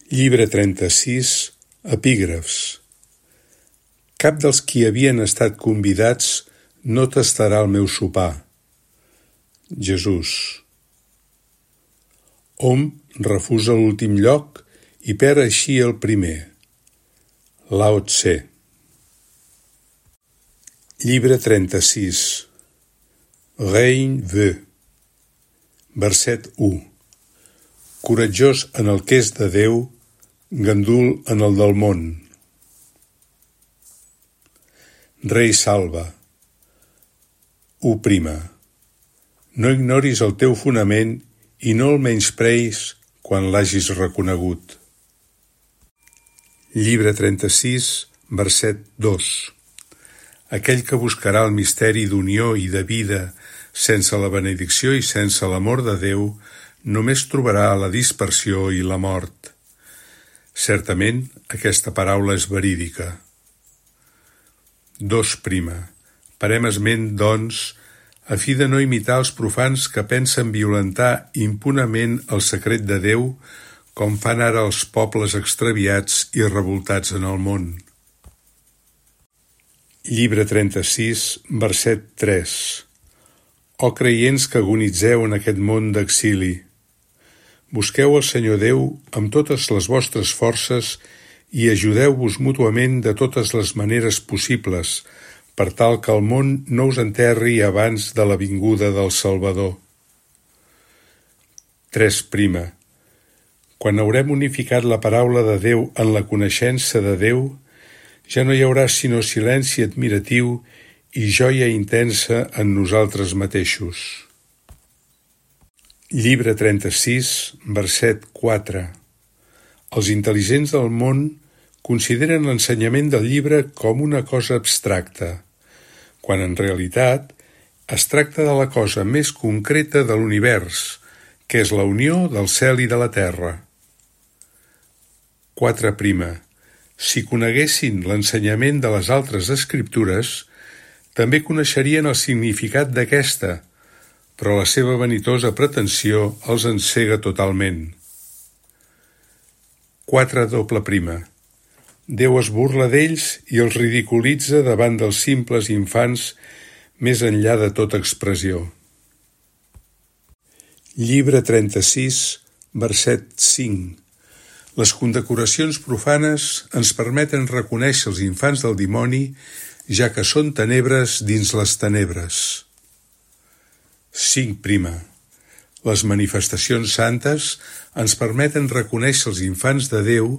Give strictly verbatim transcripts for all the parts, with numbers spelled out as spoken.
Llibre trenta-sis, epígrafs. Cap dels qui havien estat convidats no tastarà el meu sopar. Jesús. Hom refusa l'últim lloc i perd així el primer. Lao Tse. Llibre trenta-sis. Rein Ve. Verset u. Coratjós en el que és de Déu, gandul en el del món. Rei salva. U prima. No ignoris el teu fonament i no el menyspreis quan l'hagis reconegut. Llibre trenta-sis, verset dos. Aquell que buscarà el misteri d'unió i de vida sense la benedicció i sense l'amor de Déu només trobarà la dispersió i la mort. Certament, aquesta paraula és verídica. Dos prima. Parem esment, doncs, a fi de no imitar els profans que pensen violentar impunament el secret de Déu, com fan ara els pobles extraviats i revoltats en el món. Llibre trenta-sis, verset tres. O creients que agonitzeu en aquest món d'exili, busqueu el Senyor Déu amb totes les vostres forces i ajudeu-vos mútuament de totes les maneres possibles, per tal que el món no us enterri abans de la vinguda del Salvador. Tres prima. Quan haurem unificat la paraula de Déu en la coneixença de Déu, ja no hi haurà sinó silenci admiratiu i joia intensa en nosaltres mateixos. Llibre trenta-sis, verset quatre. Els intel·ligents del món consideren l'ensenyament del llibre com una cosa abstracta, quan en realitat es tracta de la cosa més concreta de l'univers, que és la unió del cel i de la terra. Quatre prima. Si coneguessin l'ensenyament de les altres escriptures, també coneixerien el significat d'aquesta, però la seva vanitosa pretensió els encega totalment. Quatre doble prima. Déu es burla d'ells i els ridiculitza davant dels simples infants més enllà de tota expressió. Llibre trenta-sis, verset cinc. Les condecoracions profanes ens permeten reconèixer els infants del dimoni, ja que són tenebres dins les tenebres. Cinc prima. Les manifestacions santes ens permeten reconèixer els infants de Déu,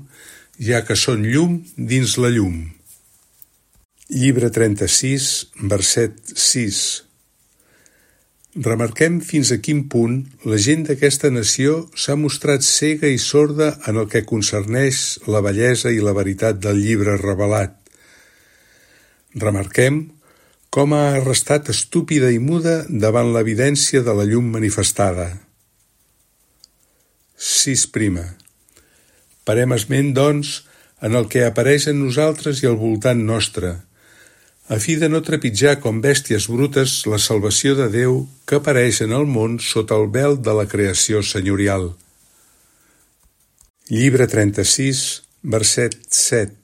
ja que són llum dins la llum. Llibre trenta-sis, verset sis. Remarquem fins a quin punt la gent d'aquesta nació s'ha mostrat cega i sorda en el que concerneix la bellesa i la veritat del llibre revelat. Remarquem com ha restat estúpida i muda davant l'evidència de la llum manifestada. Sis prima. Parem esment, doncs, en el que apareix en nosaltres i al voltant nostre, a fi de no trepitjar com bèsties brutes la salvació de Déu que apareix en el món sota el vel de la creació senyorial. Llibre trenta-sis, verset set.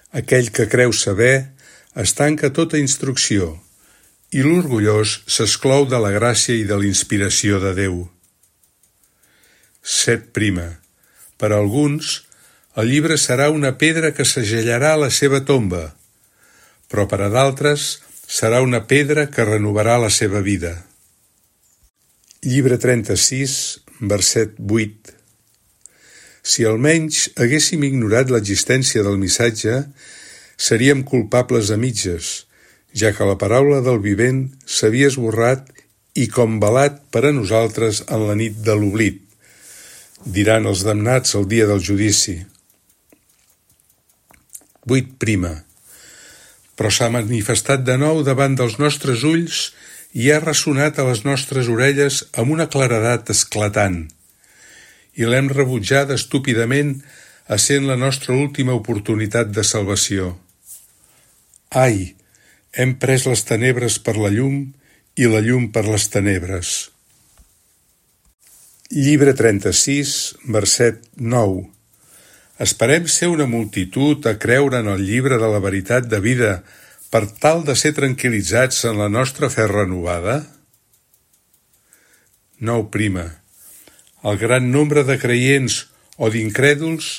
Aquell que creu saber es tanca tota instrucció, i l'orgullós s'exclou de la gràcia i de l'inspiració de Déu. Set prima. Per a alguns, el llibre serà una pedra que segellarà la seva tomba, però per a d'altres serà una pedra que renovarà la seva vida. Llibre trenta-sis, verset vuit. Si almenys haguéssim ignorat l'existència del missatge, seríem culpables a mitges, ja que la paraula del vivent s'havia esborrat i com velat per a nosaltres en la nit de l'oblit, diran els damnats el dia del judici. Vuit prima. Però s'ha manifestat de nou davant dels nostres ulls i ha ressonat a les nostres orelles amb una claredat esclatant, i l'hem rebutjada estúpidament essent la nostra última oportunitat de salvació. Ai, hem pres les tenebres per la llum i la llum per les tenebres. Llibre trenta-sis, verset nou. Esperem ser una multitud a creure en el llibre de la veritat de vida per tal de ser tranquil·litzats en la nostra fe renovada? Nou prima. El gran nombre de creients o d'incrèduls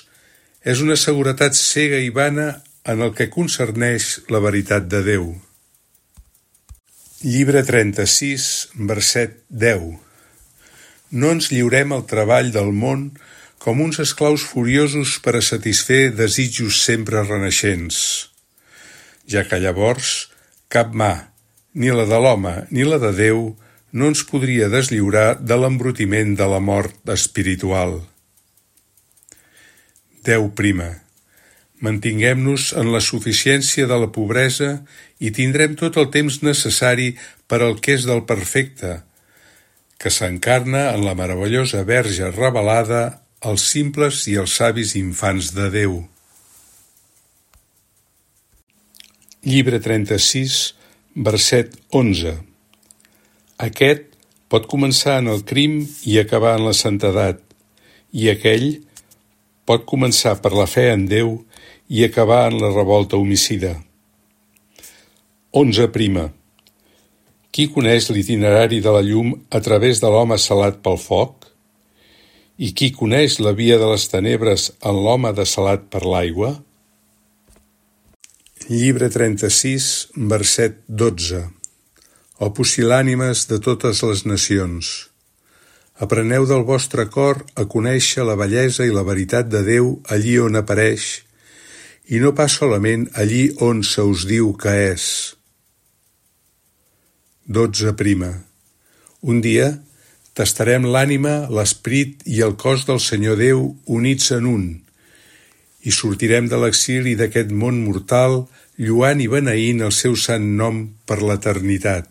és una seguretat cega i vana en el que concerneix la veritat de Déu. Llibre trenta-sis, verset deu. No ens lliurem al treball del món com uns esclaus furiosos per a satisfer desitjos sempre renaixents, ja que llavors cap mà, ni la de l'home ni la de Déu, no ens podria deslliurar de l'embrutiment de la mort espiritual. Déu prima. Mantinguem-nos en la suficiència de la pobresa i tindrem tot el temps necessari per al que és del perfecte, que s'encarna en la meravellosa Verge revelada als simples i als savis infants de Déu. Llibre trenta-sis, verset onze. Aquest pot començar en el crim i acabar en la santedat, i aquell pot començar per la fe en Déu i acabar en la revolta homicida. Onze prima. Qui coneix l'itinerari de la llum a través de l'home salat pel foc? I qui coneix la via de les tenebres en l'home desalat per l'aigua? Llibre trenta-sis, verset dotze. O pusil·lànimes de totes les nacions. Apreneu del vostre cor a conèixer la bellesa i la veritat de Déu allí on apareix, i no pas solament allí on se us diu que és. Dotze prima. Un dia tastarem l'ànima, l'esperit i el cos del Senyor Déu units en un, i sortirem de l'exili d'aquest món mortal, lluant i beneint el seu sant nom per l'eternitat.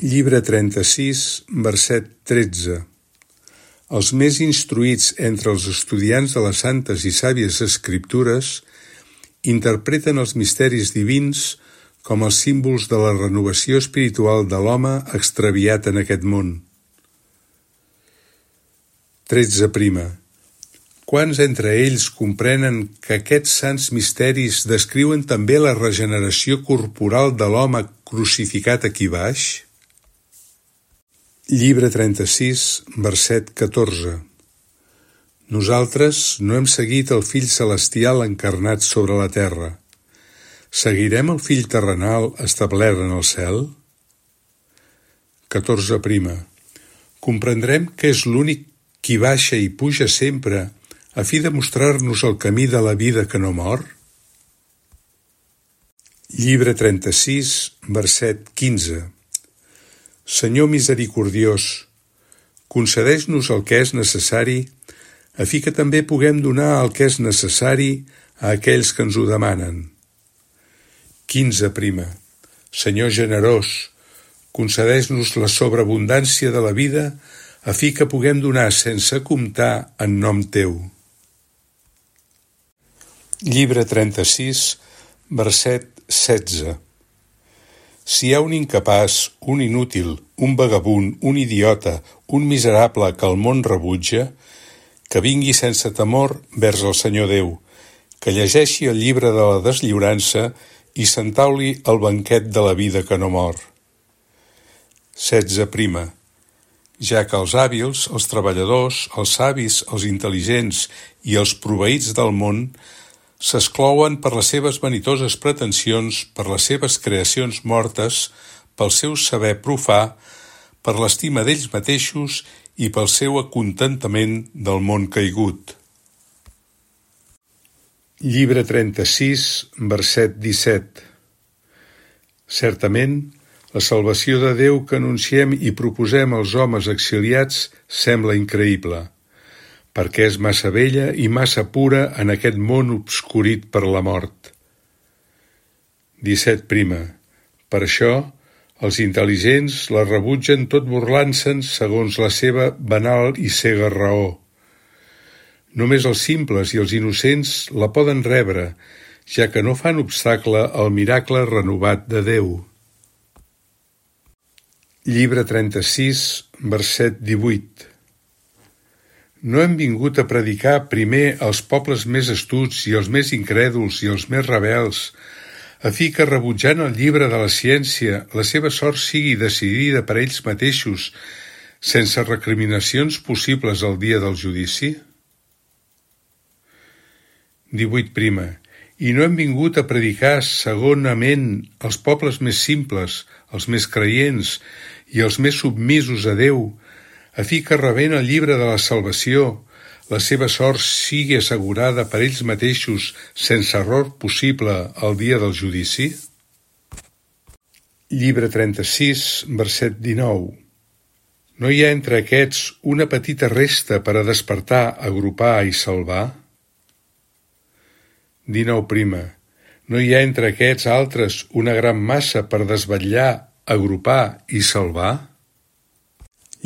Llibre trenta-sis, verset tretze. Els més instruïts entre els estudiants de les santes i sàvies escriptures interpreten els misteris divins com els símbols de la renovació espiritual de l'home extraviat en aquest món. Tretze prima. Quants entre ells comprenen que aquests sants misteris descriuen també la regeneració corporal de l'home crucificat aquí baix? Llibre trenta-sis, verset catorze. Nosaltres no hem seguit el Fill Celestial encarnat sobre la terra. Seguirem el Fill terrenal establert en el cel? Catorze prima. Comprendrem que és l'únic qui baixa i puja sempre a fi de mostrar-nos el camí de la vida que no mor? Llibre trenta-sis, verset quinze. Senyor misericordiós, concedeix-nos el que és necessari, a fi que també puguem donar el que és necessari a aquells que ens ho demanen. Quinze prima. Senyor generós, concedeix-nos la sobreabundància de la vida, a fi que puguem donar sense comptar en nom teu. Llibre trenta-sis, verset setze. Si hi ha un incapaç, un inútil, un vagabund, un idiota, un miserable que el món rebutja, que vingui sense temor vers el Senyor Déu, que llegeixi el llibre de la deslliurança i s'entauli el banquet de la vida que no mor. Setze prima. Ja que els hàbils, els treballadors, els savis, els intel·ligents i els proveïts del món s'esclouen per les seves vanitoses pretensions, per les seves creacions mortes, pel seu saber profà, per l'estima d'ells mateixos i pel seu acontentament del món caigut. Llibre trenta-sis, verset disset. Certament, la salvació de Déu que anunciem i proposem als homes exiliats sembla increïble, perquè és massa vella i massa pura en aquest món obscurit per la mort. disset prima. Per això, els intel·ligents la rebutgen tot burlant-se'n segons la seva banal i cega raó. Només els simples i els innocents la poden rebre, ja que no fan obstacle al miracle renovat de Déu. Llibre trenta-sis, verset divuit. No hem vingut a predicar primer als pobles més astuts i els més incrèduls i els més rebels, a fi que, rebutjant el llibre de la ciència, la seva sort sigui decidida per ells mateixos, sense recriminacions possibles al dia del judici? divuit prima. I no hem vingut a predicar segonament als pobles més simples, els més creients i els més submisos a Déu, a fi que, rebent el llibre de la salvació, la seva sort sigui assegurada per ells mateixos sense error possible al dia del judici? Llibre trenta-sis, verset dinou. No hi ha entre aquests una petita resta per a despertar, agrupar i salvar? dinou prima. No hi ha entre aquests altres una gran massa per desvetllar, agrupar i salvar?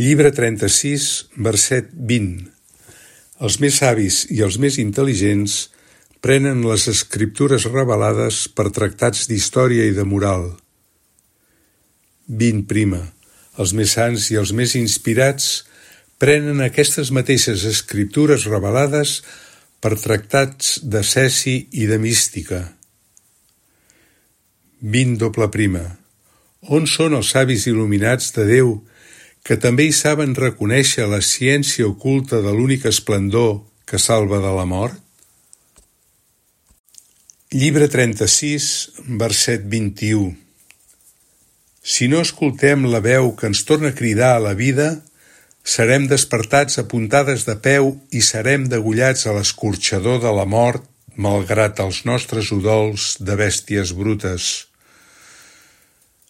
Llibre trenta-sis, verset vint. Els més savis i els més intel·ligents prenen les escriptures revelades per tractats d'història i de moral. vint prima. Els més sants i els més inspirats prenen aquestes mateixes escriptures revelades per tractats de cesi i de mística. vint doble prima. On són els savis il·luminats de Déu que també hi saben reconèixer la ciència oculta de l'únic esplendor que salva de la mort? Llibre trenta-sis, verset vint-i-u. Si no escoltem la veu que ens torna a cridar a la vida, serem despertats a puntades de peu i serem degollats a l'escorxador de la mort, malgrat els nostres udols de bèsties brutes.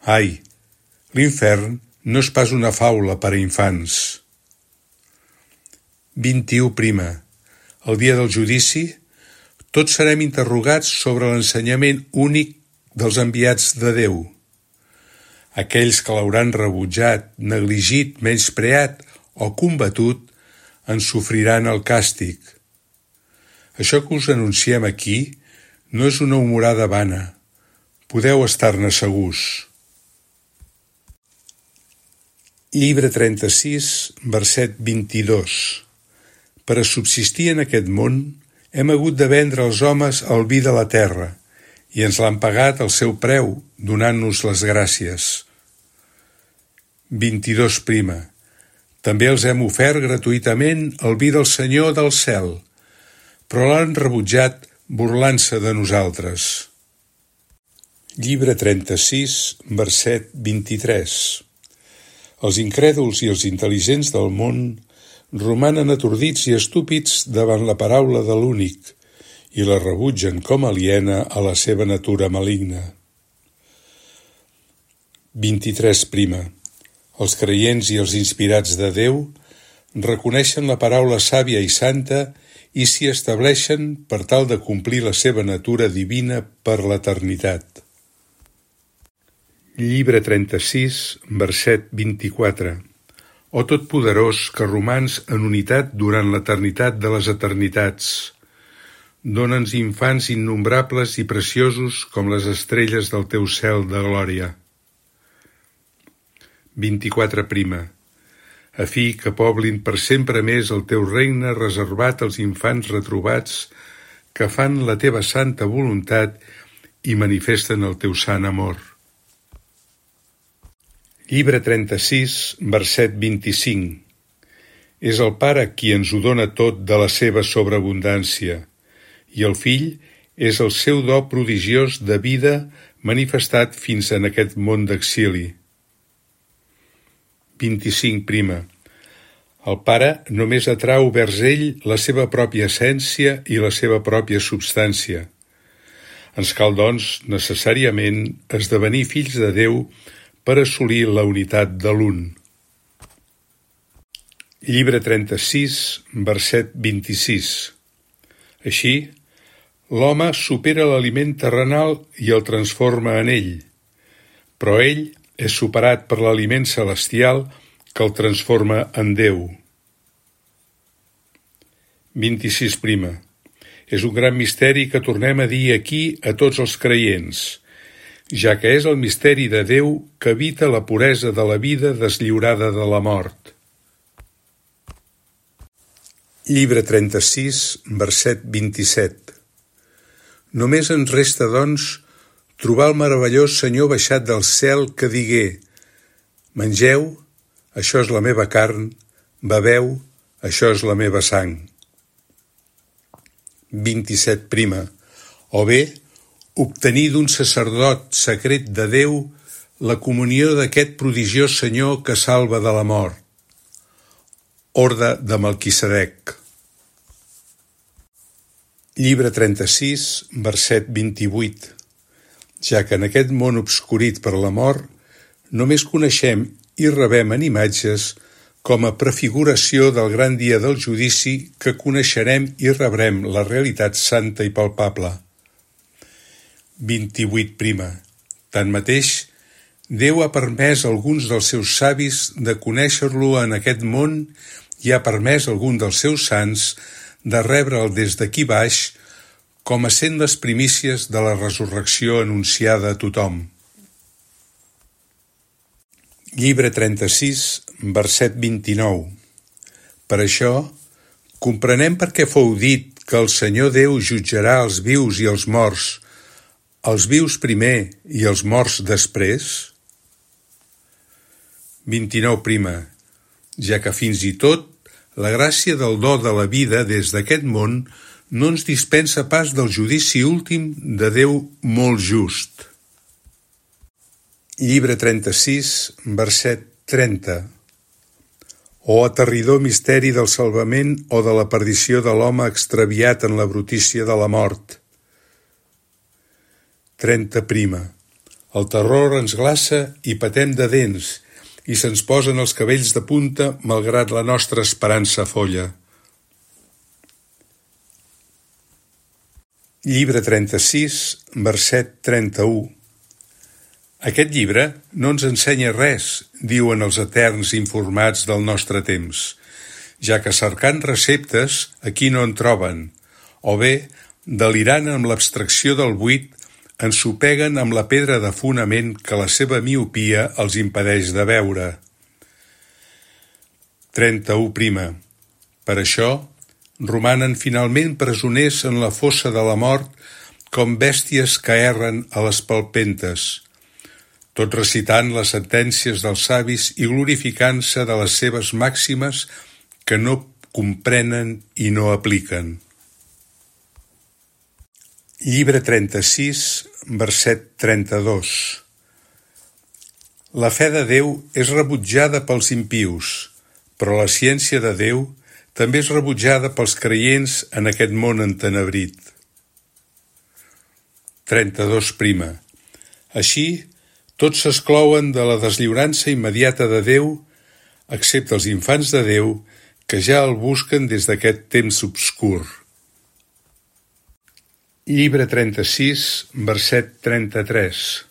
Ai, l'infern no és pas una faula per a infants. vint-i-u prima. El dia del judici, tots serem interrogats sobre l'ensenyament únic dels enviats de Déu. Aquells que l'hauran rebutjat, negligit, menyspreat o combatut, en sofriran el càstig. Això que us anunciem aquí no és una humorada vana. Podeu estar-ne segurs. Llibre trenta-sis, verset vint-i-dos. Per a subsistir en aquest món, hem hagut de vendre als homes el vi de la terra, i ens l'han pagat al seu preu, donant-nos les gràcies. vint-i-dos prima. També els hem ofert gratuïtament el vi del Senyor del cel, però l'han rebutjat burlant-se de nosaltres. Llibre trenta-sis, verset vint-i-tres. Els incrèduls i els intel·ligents del món romanen atordits i estúpids davant la paraula de l'únic i la rebutgen com aliena a la seva natura maligna. vint-i-tres prima. Els creients i els inspirats de Déu reconeixen la paraula sàvia i santa i s'hi estableixen per tal de complir la seva natura divina per l'eternitat. Llibre trenta-sis, verset vint-i-quatre. O Totpoderós, que romans en unitat durant l'eternitat de les eternitats, dóna'ns infants innombrables i preciosos com les estrelles del teu cel de glòria. vint-i-quatre prima. A fi que poblin per sempre més el teu regne reservat als infants retrobats que fan la teva santa voluntat i manifesten el teu sant amor. Llibre trenta-sis, verset vint-i-cinc. És el Pare qui ens ho dona tot de la seva sobreabundància, i el Fill és el seu do prodigiós de vida manifestat fins en aquest món d'exili. vint-i-cinc prima. El Pare només atrau vers ell la seva pròpia essència i la seva pròpia substància. Ens cal, doncs, necessàriament esdevenir fills de Déu per assolir la unitat de l'un. Llibre trenta-sis, verset vint-i-sis. Així, l'home supera l'aliment terrenal i el transforma en ell, però ell és superat per l'aliment celestial que el transforma en Déu. vint-i-sis prima. És un gran misteri que tornem a dir aquí a tots els creients, ja que és el misteri de Déu que evita la puresa de la vida deslliurada de la mort. Llibre trenta-sis, verset vint-i-set. Només ens resta, doncs, trobar el meravellós Senyor baixat del cel que digué: mengeu, això és la meva carn, beveu, això és la meva sang. vint-i-set prima. O bé, obtenir d'un sacerdot secret de Déu la comunió d'aquest prodigiós Senyor que salva de la mort. Orde de Melquisedec. Llibre trenta-sis, verset vint-i-vuit. Ja que en aquest món obscurit per la mort, només coneixem i rebem en imatges com a prefiguració del gran dia del judici que coneixerem i rebrem la realitat santa i palpable. vint-i-vuit prima. Tanmateix, Déu ha permès a alguns dels seus savis de conèixer-lo en aquest món i ha permès a algun dels seus sants de rebre'l des d'aquí baix com a sent les primícies de la resurrecció anunciada a tothom. Llibre trenta-sis, verset vint-i-nou. Per això, comprenem per què fou dit que el Senyor Déu jutjarà els vius i els morts, els vius primer i els morts després? vint-i-nou prima. Ja que fins i tot la gràcia del do de la vida des d'aquest món no ens dispensa pas del judici últim de Déu molt just. Llibre trenta-sis, verset trenta. O aterridor misteri del salvament o de la perdició de l'home extraviat en la brutícia de la mort. trenta prima. El terror ens glaça i patem de dents, i se'ns posen els cabells de punta malgrat la nostra esperança folla. Llibre trenta-sis, verset trenta-u. Aquest llibre no ens ensenya res, diuen els eterns informats del nostre temps, ja que cercant receptes aquí no en troben, o bé, delirant amb l'abstracció del buit, ensopeguen amb la pedra de fonament que la seva miopia els impedeix de veure. trenta-u prima. Per això, romanen finalment presoners en la fossa de la mort com bèsties que erren a les palpentes, tot recitant les sentències dels savis i glorificant-se de les seves màximes que no comprenen i no apliquen. Llibre trenta-sis, verset trenta-dos. La fe de Déu és rebutjada pels impius, però la ciència de Déu també és rebutjada pels creients en aquest món entenebrit. trenta-dos prima. Així, tots s'exclouen de la deslliurança immediata de Déu, excepte els infants de Déu que ja el busquen des d'aquest temps obscur. Llibre trenta-sis, verset trenta-tres.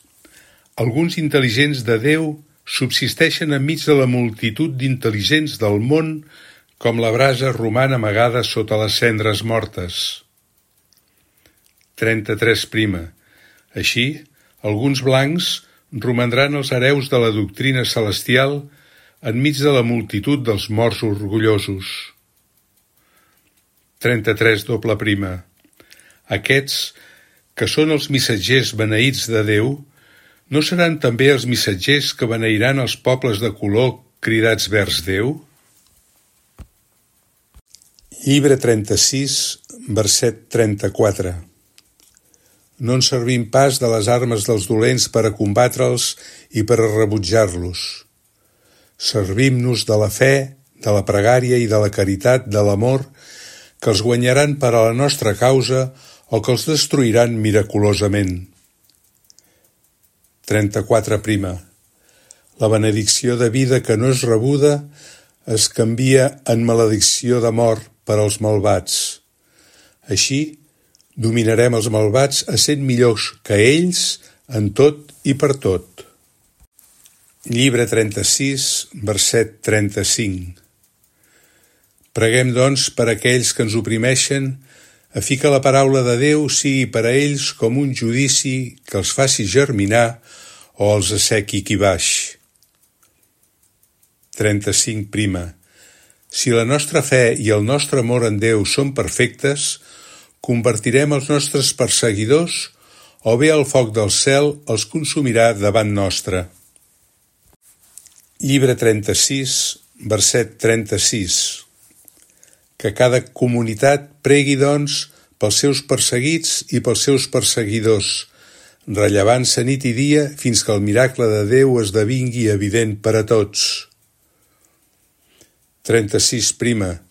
Alguns intel·ligents de Déu subsisteixen enmig de la multitud d'intel·ligents del món com la brasa roman amagada sota les cendres mortes. trenta-tres prima. Així, alguns blancs romandran els hereus de la doctrina celestial enmig de la multitud dels morts orgullosos. trenta-tres doble prima. Aquests, que són els missatgers beneïts de Déu, no seran també els missatgers que beneiran els pobles de color cridats vers Déu? Llibre trenta-sis, verset trenta-quatre. No ens servim pas de les armes dels dolents per a combatre'ls i per a rebutjar-los. Servim-nos de la fe, de la pregària i de la caritat, de l'amor, que els guanyaran per a la nostra causa o que els destruiran miraculosament. trenta-quatre prima. La benedicció de vida que no és rebuda es canvia en maledicció de mort per als malvats. Així, dominarem els malvats essent millors que ells en tot i per tot. Llibre trenta-sis, verset trenta-cinc. Preguem, doncs, per aquells que ens oprimeixen, a fi que la paraula de Déu sigui per a ells com un judici que els faci germinar o els assequi aquí baix. trenta-cinc prima. Si la nostra fe i el nostre amor en Déu són perfectes, convertirem els nostres perseguidors o bé el foc del cel els consumirà davant nostre. Llibre trenta-sis, verset trenta-sis. Que cada comunitat pregui, doncs, pels seus perseguits i pels seus perseguidors, rellevant-se nit i dia fins que el miracle de Déu esdevingui evident per a tots. trenta-sis prima.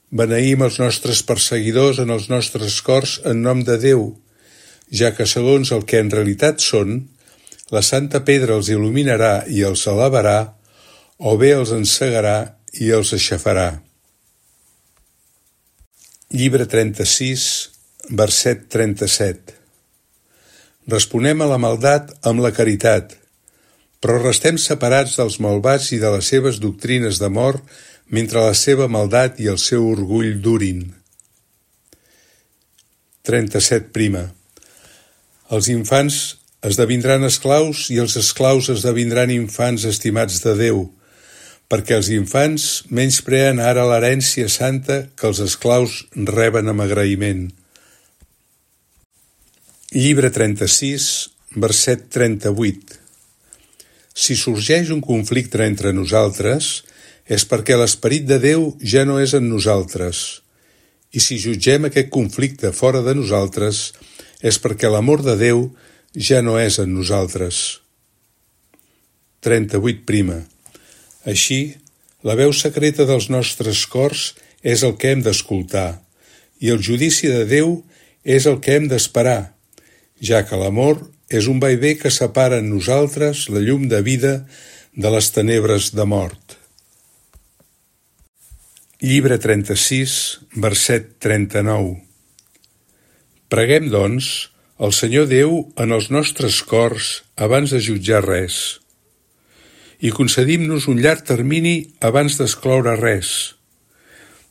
Beneïm els nostres perseguidors en els nostres cors en nom de Déu, ja que segons el que en realitat són, la Santa Pedra els il·luminarà i els elevarà, o bé els encegarà i els aixafarà. Llibre trenta-sis, verset trenta-set. Responem a la maldat amb la caritat, però restem separats dels malvats i de les seves doctrines de mort mentre la seva maldat i el seu orgull durin. trenta-set prima. Els infants esdevindran esclaus i els esclaus esdevindran infants estimats de Déu, perquè els infants menyspreen ara l'herència santa que els esclaus reben amb agraïment. Llibre trenta-sis, verset trenta-vuit. Si sorgeix un conflicte entre nosaltres, és perquè l'esperit de Déu ja no és en nosaltres, i si jutgem aquest conflicte fora de nosaltres, és perquè l'amor de Déu ja no és en nosaltres. trenta-vuit prima. Així, la veu secreta dels nostres cors és el que hem d'escoltar, i el judici de Déu és el que hem d'esperar, ja que l'amor és un vaivé que separa en nosaltres la llum de vida de les tenebres de mort. Llibre trenta-sis, verset trenta-nou. Preguem, doncs, al Senyor Déu en els nostres cors abans de jutjar res, i concedim-nos un llarg termini abans d'excloure res,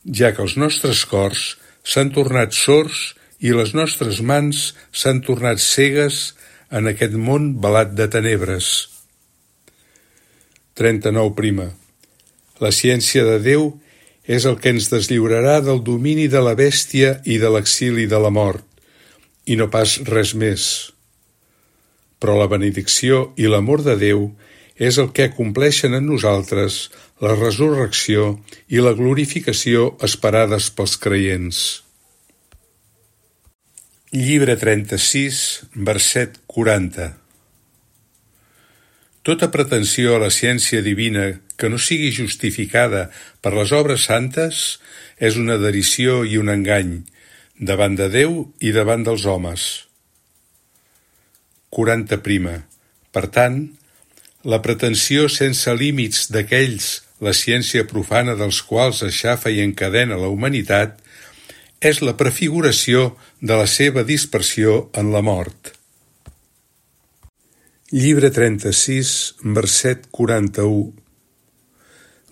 ja que els nostres cors s'han tornat sords i les nostres mans s'han tornat cegues en aquest món velat de tenebres. trenta-nou prima. La ciència de Déu és el que ens deslliurarà del domini de la bèstia i de l'exili de la mort, i no pas res més. Però la benedicció i l'amor de Déu és el que acompleixen en nosaltres la resurrecció i la glorificació esperades pels creients. Llibre trenta-sis, verset quaranta. Tota pretensió a la ciència divina que no sigui justificada per les obres santes és una derisió i un engany, davant de Déu i davant dels homes. quaranta prima. Per tant, la pretensió sense límits d'aquells, la ciència profana dels quals aixafa i encadena la humanitat, és la prefiguració de la seva dispersió en la mort. Llibre trenta-sis, verset quaranta-u.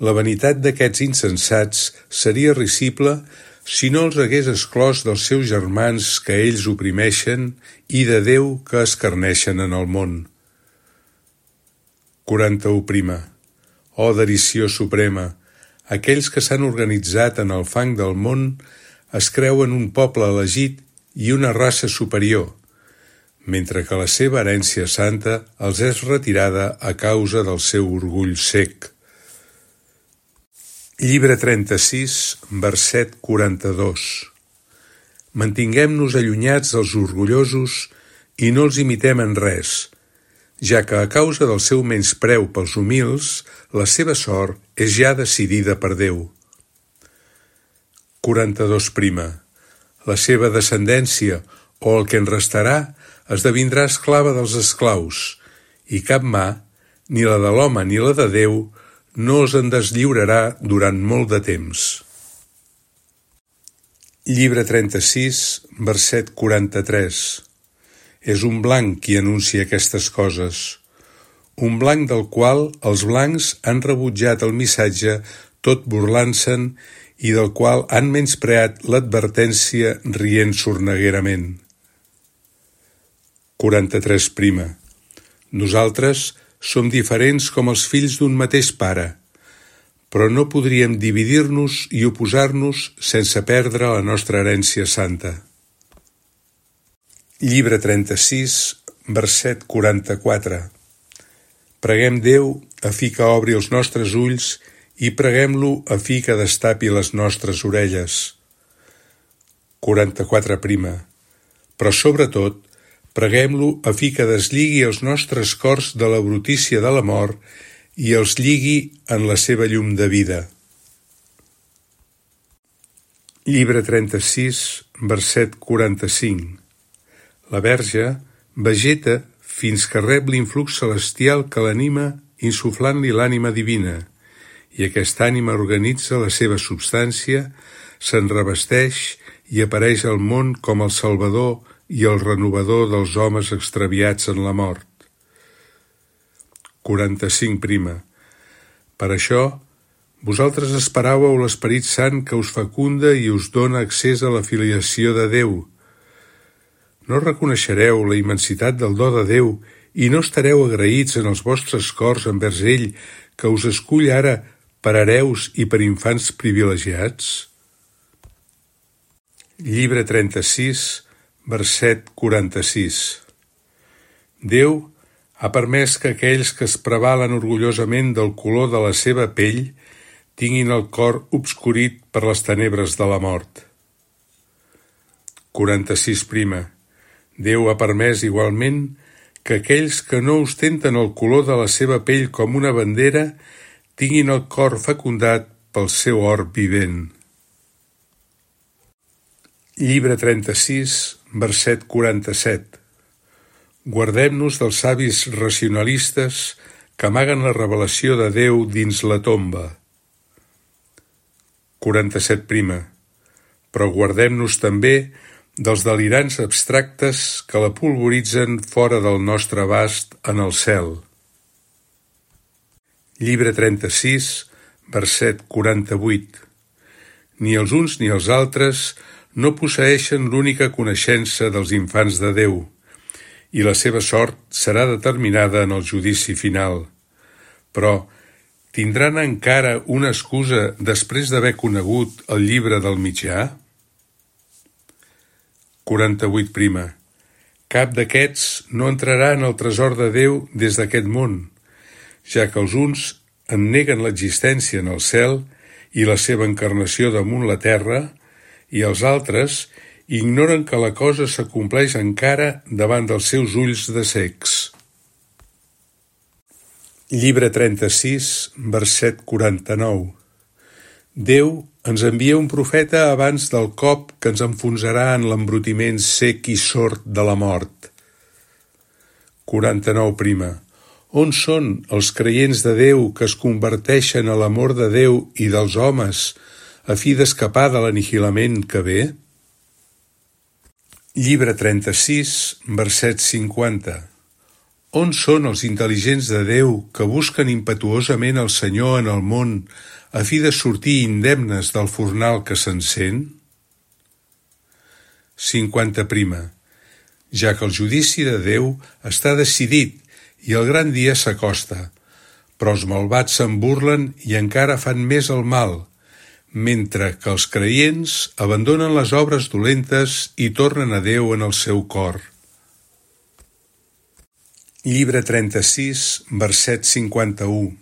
La vanitat d'aquests insensats seria risible si no els hagués exclòs dels seus germans que ells oprimeixen i de Déu que escarneixen en el món. quaranta-u prima. Oh derisió suprema, aquells que s'han organitzat en el fang del món es creuen un poble elegit i una raça superior, mentre que la seva herència santa els és retirada a causa del seu orgull cec. Llibre trenta-sis, verset quaranta-dos. Mantinguem-nos allunyats dels orgullosos i no els imitem en res, ja que a causa del seu menyspreu pels humils, la seva sort és ja decidida per Déu. quaranta-dos prima. La seva descendència, o el que en restarà, esdevindrà esclava dels esclaus, i cap mà, ni la de l'home ni la de Déu, no els en deslliurarà durant molt de temps. Llibre trenta-sis, verset quaranta-tres. És un blanc qui anuncia aquestes coses, un blanc del qual els blancs han rebutjat el missatge tot burlant-se'n i del qual han menyspreat l'advertència rient sorneguerament. quaranta-tres prima. Nosaltres som diferents com els fills d'un mateix pare, però no podríem dividir-nos i oposar-nos sense perdre la nostra herència santa. Llibre trenta-sis, verset quaranta-quatre. Preguem Déu a fi que obri els nostres ulls i preguem-lo a fi que destapi les nostres orelles. quaranta-quatre prima. Però sobretot, preguem-lo a fi que deslligui els nostres cors de la brutícia de la mort i els lligui en la seva llum de vida. Llibre trenta-sis, verset quaranta-cinc. La Verge vegeta fins que rep l'influx celestial que l'anima insuflant-li l'ànima divina, i aquesta ànima organitza la seva substància, se'n revesteix i apareix al món com el Salvador i el renovador dels homes extraviats en la mort. quaranta-cinc prima. Per això, vosaltres esperàveu l'Esperit Sant que us fecunda i us dona accés a la filiació de Déu. No reconeixereu la immensitat del do de Déu i no estareu agraïts en els vostres cors envers ell que us escull ara per hereus i per infants privilegiats? Llibre trenta-sis, verset quaranta-sis. Déu ha permès que aquells que es prevalen orgullosament del color de la seva pell tinguin el cor obscurit per les tenebres de la mort. quaranta-sis prima. Déu ha permès igualment que aquells que no ostenten el color de la seva pell com una bandera tinguin el cor fecundat pel seu or vivent. Llibre trenta-sis, verset quaranta-set. Guardem-nos dels savis racionalistes que amaguen la revelació de Déu dins la tomba. quaranta-set prima. Però guardem-nos també dels delirants abstractes que la polvoritzen fora del nostre abast en el cel. Llibre trenta-sis, verset quaranta-vuit. Ni els uns ni els altres no posseeixen l'única coneixença dels infants de Déu, i la seva sort serà determinada en el judici final. Però tindran encara una excusa després d'haver conegut el llibre del mitjà? quaranta-vuit prima. Cap d'aquests no entrarà en el tresor de Déu des d'aquest món, ja que els uns en neguen l'existència en el cel i la seva encarnació damunt la terra, i els altres ignoren que la cosa s'acompleix encara davant dels seus ulls de cecs. Llibre trenta-sis, verset quaranta-nou. Déu ens envia un profeta abans del cop que ens enfonsarà en l'embrutiment sec i sord de la mort. quaranta-nou prima. On són els creients de Déu que es converteixen a l'amor de Déu i dels homes a fi d'escapar de l'aniquilament que ve? Llibre trenta-sis, verset cinquanta. On són els intel·ligents de Déu que busquen impetuosament el Senyor en el món a fi de sortir indemnes del fornal que s'encén? cinquanta prima. Ja que el judici de Déu està decidit i el gran dia s'acosta, però els malvats se'n burlen i encara fan més el mal, mentre que els creients abandonen les obres dolentes i tornen a Déu en el seu cor. Llibre trenta-sis, verset cinquanta-u.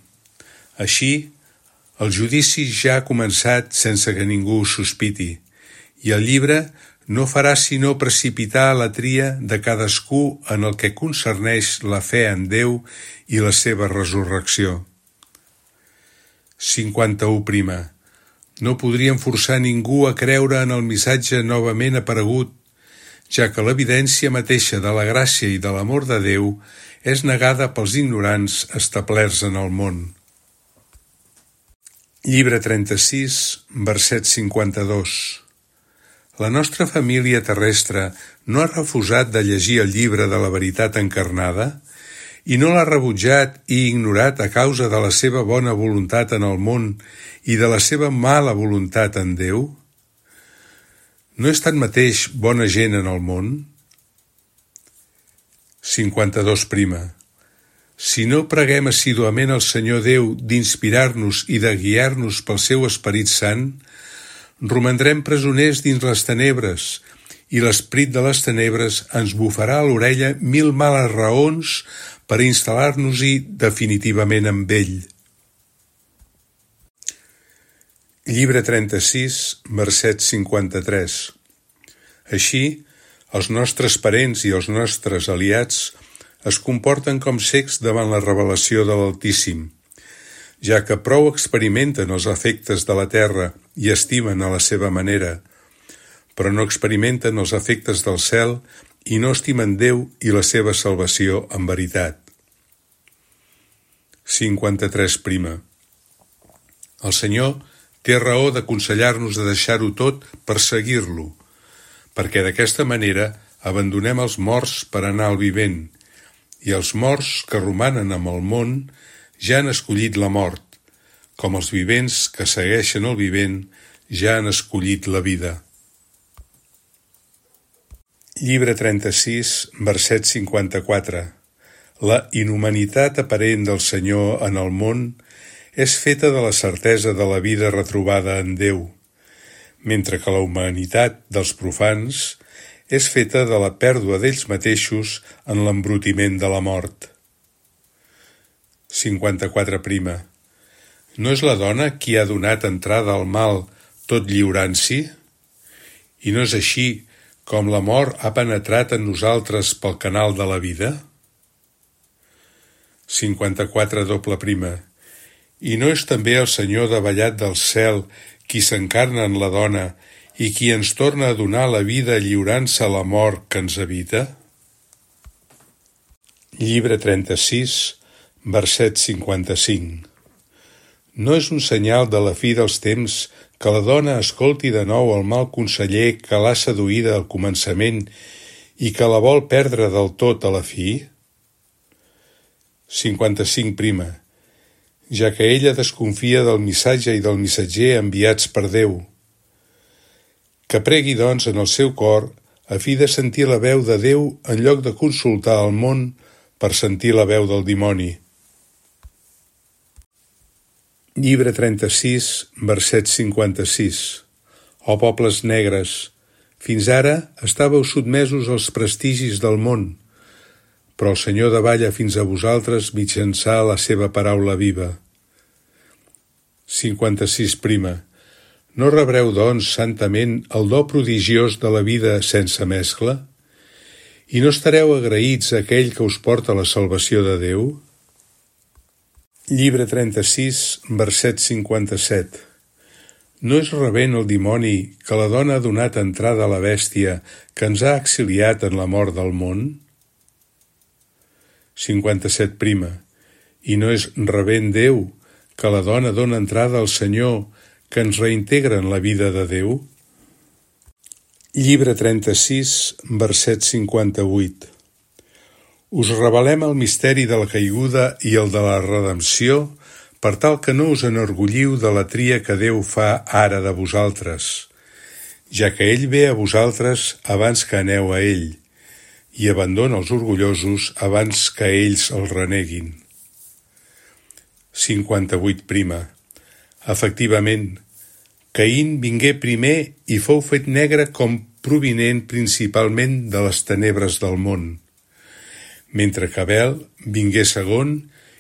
Així, el judici ja ha començat sense que ningú ho sospiti, i el llibre no farà sinó precipitar la tria de cadascú en el que concerneix la fe en Déu i la seva resurrecció. cinquanta-u prima. No podrien forçar ningú a creure en el missatge novament aparegut, ja que l'evidència mateixa de la gràcia i de l'amor de Déu és negada pels ignorants establerts en el món. Llibre trenta-sis, verset cinquanta-dos. La nostra família terrestre no ha refusat de llegir el llibre de la veritat encarnada i no l'ha rebutjat i ignorat a causa de la seva bona voluntat en el món i de la seva mala voluntat en Déu? No és tanmateix bona gent en el món? cinquanta-dos prima. Si no preguem assíduament al Senyor Déu d'inspirar-nos i de guiar-nos pel seu Esperit Sant, romandrem presoners dins les tenebres i l'esperit de les tenebres ens bufarà a l'orella mil males raons per instal·lar-nos-hi definitivament amb ell. Llibre trenta-sis, verset cinquanta-tres. Així, els nostres parents i els nostres aliats es comporten com cecs davant la revelació de l'Altíssim, ja que prou experimenten els efectes de la terra i estimen a la seva manera, però no experimenten els efectes del cel i no estimen Déu i la seva salvació en veritat. cinquanta-tres. El Senyor té raó d'aconsellar-nos de deixar-ho tot per seguir-lo, perquè d'aquesta manera abandonem els morts per anar al vivent, i els morts que romanen amb el món ja han escollit la mort, com els vivents que segueixen el vivent ja han escollit la vida. Llibre trenta-sis, verset cinquanta-quatre. La inhumanitat aparent del Senyor en el món és feta de la certesa de la vida retrobada en Déu, mentre que la humanitat dels profans és feta de la pèrdua d'ells mateixos en l'embrutiment de la mort. cinquanta-quatre. No és la dona qui ha donat entrada al mal tot lliurant-s'hi? I no és així com la mort ha penetrat en nosaltres pel canal de la vida? cinquanta-quatre. I no és també el Senyor davallat del cel qui s'encarna en la dona i qui ens torna a donar la vida lliurant-se a la mort que ens habita? Llibre trenta-sis, verset cinquanta-cinc. No és un senyal de la fi dels temps que la dona escolti de nou el mal conseller que l'ha seduïda al començament i que la vol perdre del tot a la fi? cinquanta-cinc. Ja que ella desconfia del missatge i del missatger enviats per Déu. Que pregui, doncs, en el seu cor a fi de sentir la veu de Déu en lloc de consultar el món per sentir la veu del dimoni. Llibre trenta-sis, verset cinquanta-sis. Ó pobles negres, fins ara estàveu sotmesos als prestigis del món, però el Senyor davalla fins a vosaltres mitjançant la seva paraula viva. cinquanta-sis. No rebreu, doncs, santament el do prodigiós de la vida sense mescla? I no estareu agraïts a aquell que us porta la salvació de Déu? Llibre trenta-sis, verset cinquanta-set. No és rebent el dimoni que la dona ha donat entrada a la bèstia que ens ha exiliat en la mort del món? cinquanta-set. I no és rebent Déu que la dona dona entrada al Senyor que ens reintegra en la vida de Déu? Llibre trenta-sis, verset cinquanta-vuit. Us revelem el misteri de la caiguda i el de la redempció per tal que no us enorgulliu de la tria que Déu fa ara de vosaltres, ja que ell ve a vosaltres abans que aneu a ell, i abandona els orgullosos abans que ells el reneguin. cinquanta-vuit. Efectivament, Caín vingué primer i fou fet negre com provinent principalment de les tenebres del món, mentre que Abel vingué segon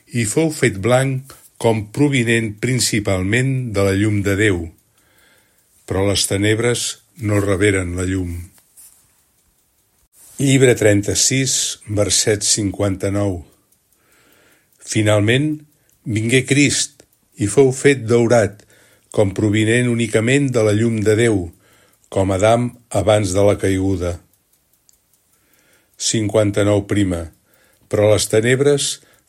i fou fet blanc com provinent principalment de la llum de Déu, però les tenebres no reberen la llum. Llibre trenta-sis, verset cinquanta-nou. Finalment, vingué Crist i fou fet daurat, com provinent únicament de la llum de Déu, com Adam abans de la caiguda. cinquanta-nou. Però les tenebres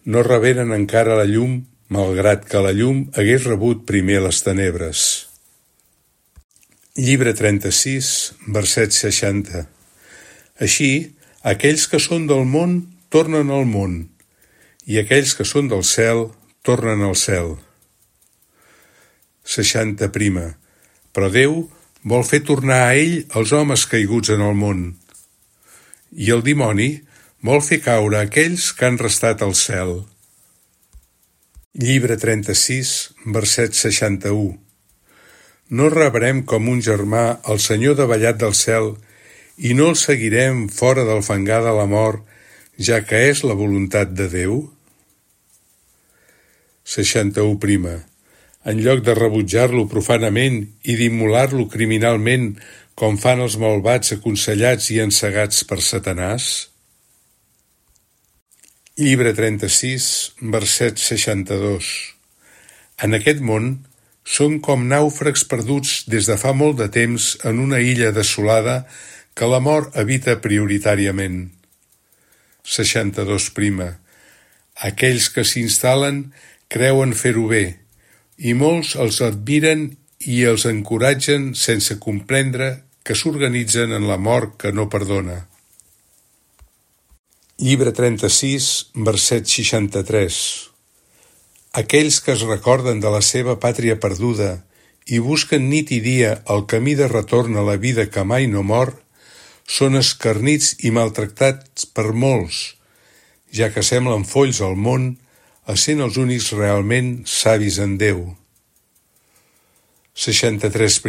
no reberen encara la llum, malgrat que la llum hagués rebut primer les tenebres. Llibre trenta-sis, verset seixanta. Així, aquells que són del món tornen al món, i aquells que són del cel tornen al cel. seixanta. Però Déu vol fer tornar a ell els homes caiguts en el món, i el dimoni vol fer caure aquells que han restat al cel. Llibre trenta-sis, verset seixanta-u. No rebrem com un germà el Senyor davallat del cel i no el seguirem fora del fangar de la mort, ja que és la voluntat de Déu? seixanta-u. En lloc de rebutjar-lo profanament i d'immolar-lo criminalment, com fan els malvats aconsellats i encegats per Satanàs? Llibre trenta-sis, verset seixanta-dos. En aquest món som com nàufrags perduts des de fa molt de temps en una illa desolada que la mort habita prioritàriament. seixanta-dos. Aquells que s'instal·len creuen fer-ho bé, i molts els admiren i els encoratgen sense comprendre que s'organitzen en la mort que no perdona. Llibre trenta-sis, verset seixanta-tres. Aquells que es recorden de la seva pàtria perduda i busquen nit i dia el camí de retorn a la vida que mai no mor, són escarnits i maltractats per molts, ja que semblen folls al món, essent els únics realment savis en Déu. seixanta-tres.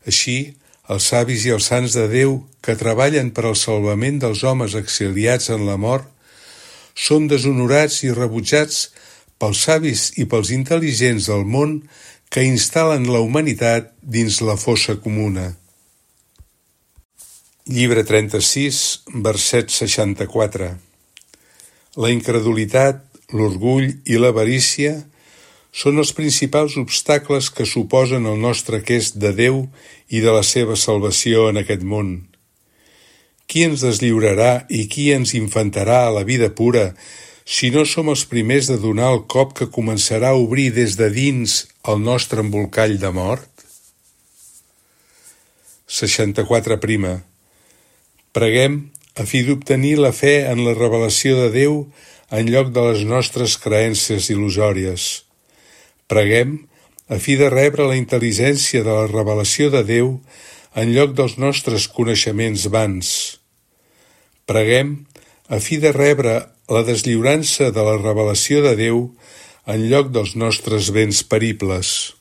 Així, els savis i els sants de Déu que treballen per al salvament dels homes exiliats en la mort són deshonorats i rebutjats pels savis i pels intel·ligents del món que instal·len la humanitat dins la fossa comuna. Llibre trenta-sis, verset seixanta-quatre. La incredulitat, l'orgull i l'avarícia són els principals obstacles que suposen el nostre aquest de Déu i de la seva salvació en aquest món. Qui ens deslliurarà i qui ens infantarà a la vida pura si no som els primers de donar el cop que començarà a obrir des de dins el nostre embolcall de mort? seixanta-quatre. Preguem a fi d'obtenir la fe en la revelació de Déu en lloc de les nostres creences il·lusòries. Preguem a fi de rebre la intel·ligència de la revelació de Déu en lloc dels nostres coneixements vans. Preguem a fi de rebre la deslliurança de la revelació de Déu en lloc dels nostres béns peribles.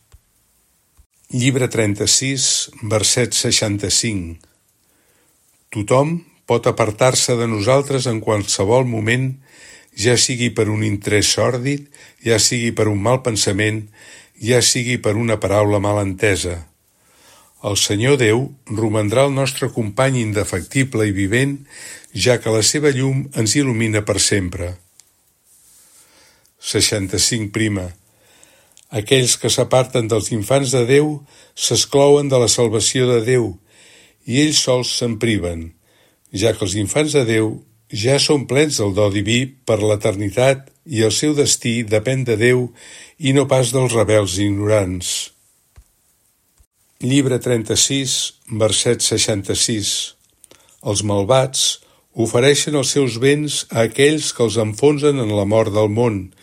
Llibre trenta-sis, verset seixanta-cinc. Tothom pot apartar-se de nosaltres en qualsevol moment, ja sigui per un interès sòrdid, ja sigui per un mal pensament, ja sigui per una paraula mal entesa. El Senyor Déu romandrà el nostre company indefectible i vivent, ja que la seva llum ens il·lumina per sempre. seixanta-cinc. Aquells que s'aparten dels infants de Déu s'exclouen de la salvació de Déu, i ells sols se'n priven, ja que els infants de Déu ja són plens del do diví per l'eternitat i el seu destí depèn de Déu i no pas dels rebels ignorants. Llibre trenta-sis, verset seixanta-sis. Els malvats ofereixen els seus béns a aquells que els enfonsen en la mort del món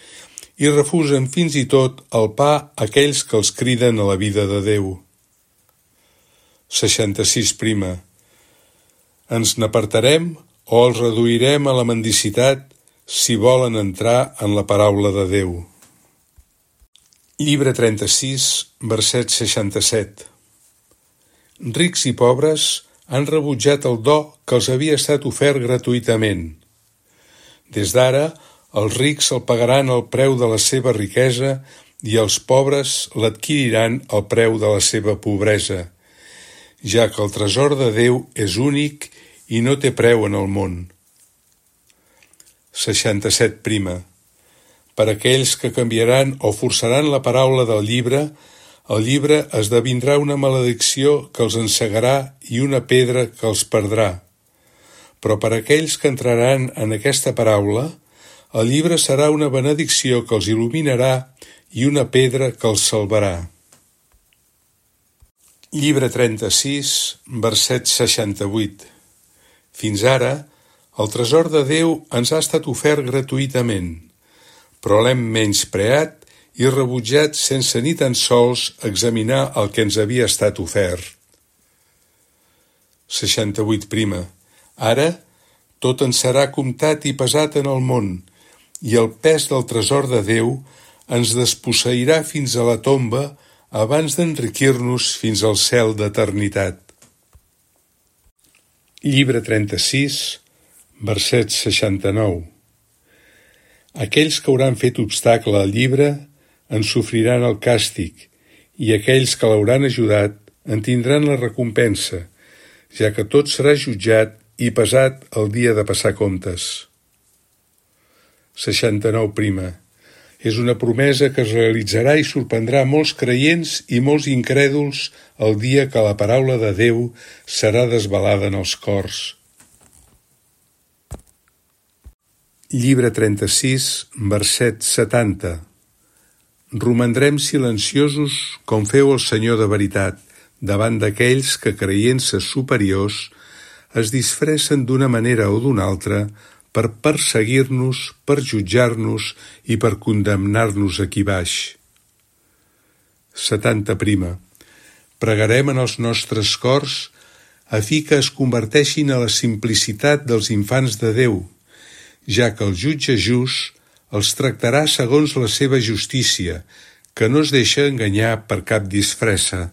i refusen fins i tot el pa a aquells que els criden a la vida de Déu. seixanta-sis. Ens n'apartarem o els reduirem a la mendicitat si volen entrar en la paraula de Déu. Llibre trenta-sis, verset seixanta-set. Rics i pobres han rebutjat el do que els havia estat ofert gratuïtament. Des d'ara, els rics el pagaran al preu de la seva riquesa i els pobres l'adquiriran al preu de la seva pobresa, ja que el tresor de Déu és únic i no té preu en el món. seixanta-set. Per aquells que canviaran o forçaran la paraula del llibre, el llibre esdevindrà una maledicció que els encegarà i una pedra que els perdrà. Però per aquells que entraran en aquesta paraula, el llibre serà una benedicció que els il·luminarà i una pedra que els salvarà. Llibre trenta-sis, verset seixanta-vuit. Fins ara, el tresor de Déu ens ha estat ofert gratuïtament, però l'hem menyspreat i rebutjat sense ni tan sols examinar el que ens havia estat ofert. seixanta-vuit. Ara, tot ens serà comptat i pesat en el món, i el pes del tresor de Déu ens desposseirà fins a la tomba abans d'enriquir-nos fins al cel d'eternitat. Llibre trenta-sis, verset seixanta-nou. Aquells que hauran fet obstacle al llibre en sofriran el càstig, i aquells que l'hauran ajudat en tindran la recompensa, ja que tot serà jutjat i pesat el dia de passar comptes. seixanta-nou prima. És una promesa que es realitzarà i sorprendrà molts creients i molts incrèduls el dia que la paraula de Déu serà desvelada en els cors. Llibre trenta-sis, verset setanta. Romandrem silenciosos com feu el Senyor de veritat, davant d'aquells que, creient-se superiors, es disfressen d'una manera o d'una altra per perseguir-nos, per jutjar-nos i per condemnar-nos aquí baix. setanta prima. Pregarem en els nostres cors a fi que es converteixin a la simplicitat dels infants de Déu, ja que el jutge just els tractarà segons la seva justícia, que no es deixa enganyar per cap disfressa.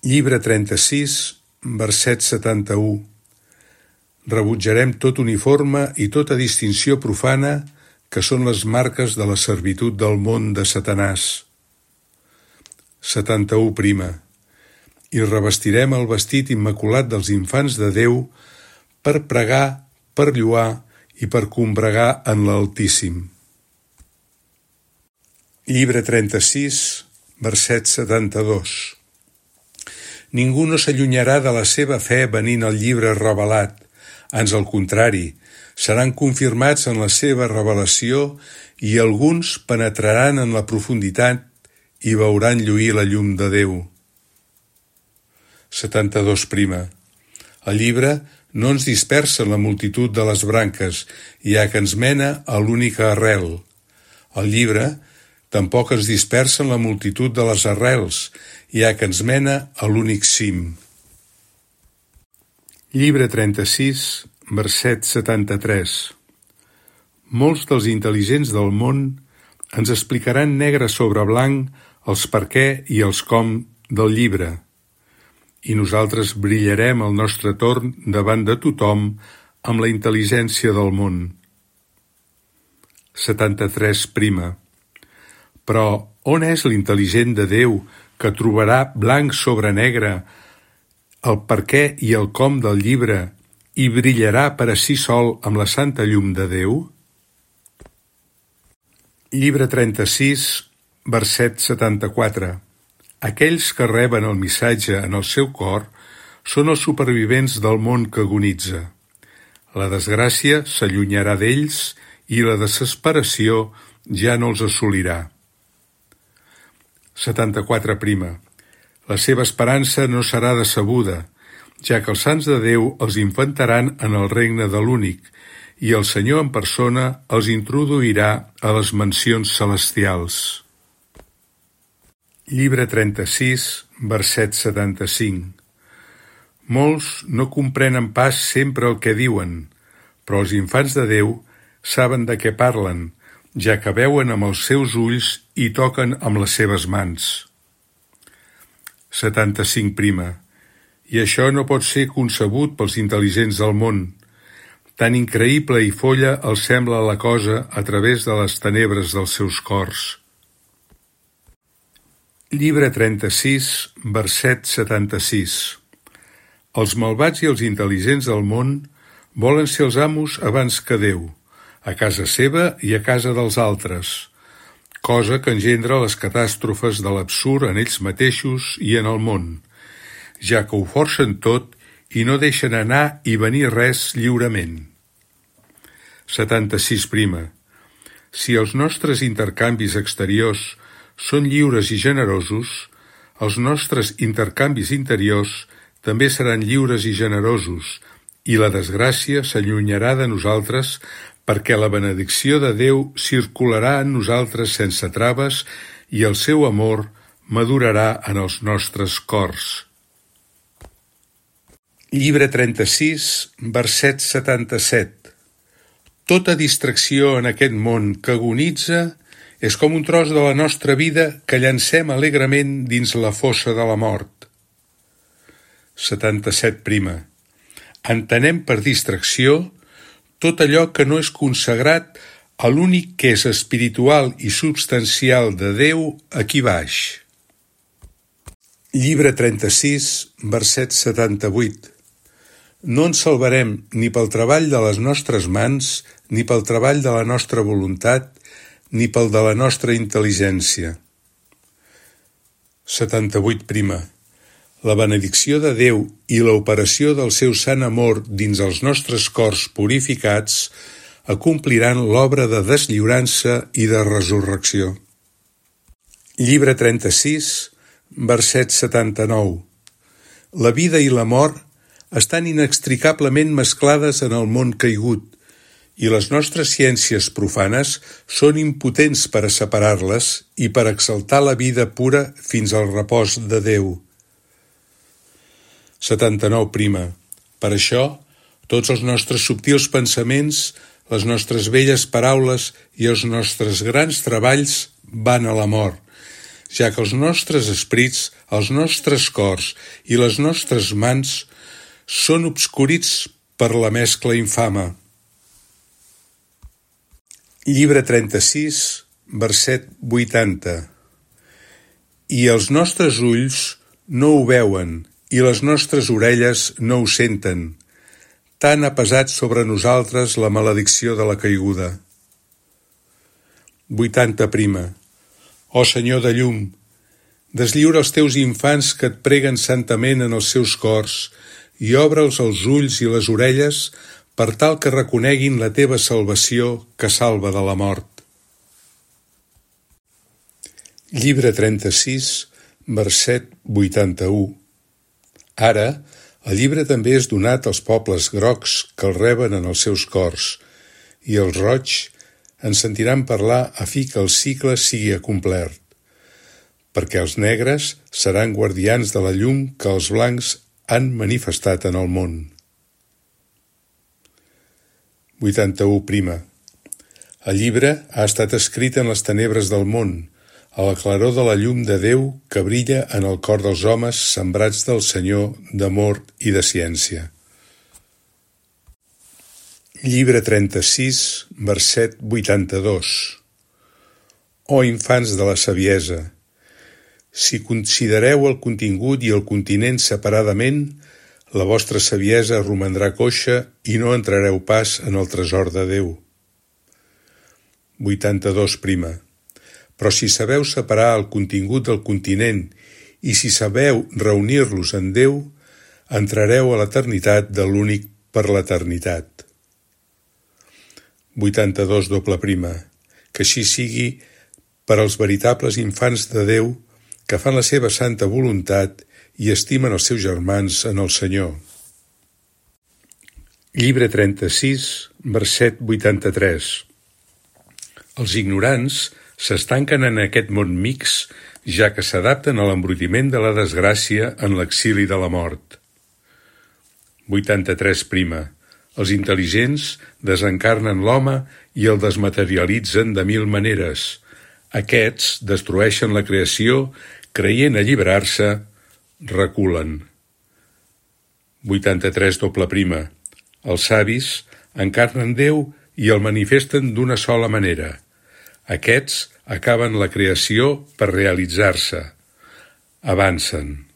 Llibre trenta-sis, verset setanta-u. Rebutjarem tot uniforme i tota distinció profana, que són les marques de la servitud del món de Satanàs. setanta-u prima. I revestirem el vestit immaculat dels infants de Déu per pregar, per lloar i per combregar en l'Altíssim. Llibre trenta-sis, verset setanta-dos. Ningú no s'allunyarà de la seva fe venint al llibre revelat, ans al contrari, seran confirmats en la seva revelació i alguns penetraran en la profunditat i veuran lluir la llum de Déu. setanta-dos prima. El llibre no ens dispersa la multitud de les branques, ja que ens mena a l'única arrel. El llibre tampoc ens dispersa la multitud de les arrels, ja que ens mena a l'únic cim. Llibre trenta-sis, verset setanta-tres. Molts dels intel·ligents del món ens explicaran negre sobre blanc els per què i els com del llibre, i nosaltres brillarem al nostre torn davant de tothom amb la intel·ligència del món. setanta-tres prima. Però on és l'intel·ligent de Déu que trobarà blanc sobre negre el per què i el com del llibre i brillarà per a si sol amb la santa llum de Déu? Llibre trenta-sis, verset setanta-quatre. Aquells que reben el missatge en el seu cor són els supervivents del món que agonitza. La desgràcia s'allunyarà d'ells i la desesperació ja no els assolirà. setanta-quatre prima. La seva esperança no serà decebuda, ja que els sants de Déu els infantaran en el regne de l'únic, i el Senyor en persona els introduirà a les mansions celestials. Llibre trenta-sis, verset setanta-cinc. Molts no comprenen pas sempre el que diuen, però els infants de Déu saben de què parlen, ja que veuen amb els seus ulls i toquen amb les seves mans. setanta-cinc prima. I això no pot ser concebut pels intel·ligents del món. Tan increïble i folla els sembla la cosa a través de les tenebres dels seus cors. Llibre trenta-sis, verset setanta-sis. Els malvats i els intel·ligents del món volen ser els amos abans que Déu, a casa seva i a casa dels altres, cosa que engendra les catàstrofes de l'absurd en ells mateixos i en el món, ja que ho forcen tot i no deixen anar i venir res lliurement. setanta-sis prima. Si els nostres intercanvis exteriors són lliures i generosos, els nostres intercanvis interiors també seran lliures i generosos, i la desgràcia s'allunyarà de nosaltres perquè la benedicció de Déu circularà en nosaltres sense traves i el seu amor madurarà en els nostres cors. Llibre trenta-sis, verset setanta-set. Tota distracció en aquest món que agonitza és com un tros de la nostra vida que llancem alegrement dins la fossa de la mort. setanta-set prima. Entenem per distracció tot allò que no és consagrat a l'únic que és espiritual i substancial de Déu aquí baix. Llibre trenta-sis, verset setanta-vuit. No ens salvarem ni pel treball de les nostres mans, ni pel treball de la nostra voluntat, ni pel de la nostra intel·ligència. setanta-vuit prima. La benedicció de Déu i l'operació del seu sant amor dins els nostres cors purificats acompliran l'obra de deslliurança i de resurrecció. Llibre trenta-sis, verset setanta-nou. La vida i la mort estan inextricablement mesclades en el món caigut, i les nostres ciències profanes són impotents per a separar-les i per exaltar la vida pura fins al repòs de Déu. setanta-nou prima. Per això, tots els nostres subtils pensaments, les nostres belles paraules i els nostres grans treballs van a la mort, ja que els nostres esprits, els nostres cors i les nostres mans són obscurits per la mescla infama. Llibre trenta-sis, verset vuitanta. I els nostres ulls no ho veuen, i les nostres orelles no ho senten. Tant ha pesat sobre nosaltres la maledicció de la caiguda. vuitanta prima. Ó Senyor de llum, deslliura els teus infants que et preguen santament en els seus cors i obre'ls els ulls i les orelles per tal que reconeguin la teva salvació que salva de la mort. Llibre trenta-sis, verset vuitanta-u. Ara, el llibre també és donat als pobles grocs que el reben en els seus cors, i els roigs en sentiran parlar a fi que el cicle sigui acomplert, perquè els negres seran guardians de la llum que els blancs han manifestat en el món. vuitanta-u prima. El llibre ha estat escrit en les tenebres del món, a la claror de la llum de Déu que brilla en el cor dels homes sembrats del Senyor d'amor i de ciència. Llibre trenta-sis, verset vuitanta-dos. Ó infants de la saviesa, si considereu el contingut i el continent separadament, la vostra saviesa romandrà coixa i no entrareu pas en el tresor de Déu. vuitanta-dos prima. Però si sabeu separar el contingut del continent i si sabeu reunir-los en Déu, entrareu a l'eternitat de l'únic per l'eternitat. vuitanta-dos doble prima. Que així sigui per als veritables infants de Déu que fan la seva santa voluntat i estimen els seus germans en el Senyor. Llibre trenta-sis, verset vuitanta-tres. Els ignorants s'estanquen en aquest món mix, ja que s'adapten a l'embrutiment de la desgràcia en l'exili de la mort. vuitanta-tres prima. Els intel·ligents desencarnen l'home i el desmaterialitzen de mil maneres. Aquests destrueixen la creació, creient alliberar-se, reculen. vuitanta-tres doble prima. Els savis encarnen Déu i el manifesten d'una sola manera. Aquests acaben la creació per realitzar-se. Avancen.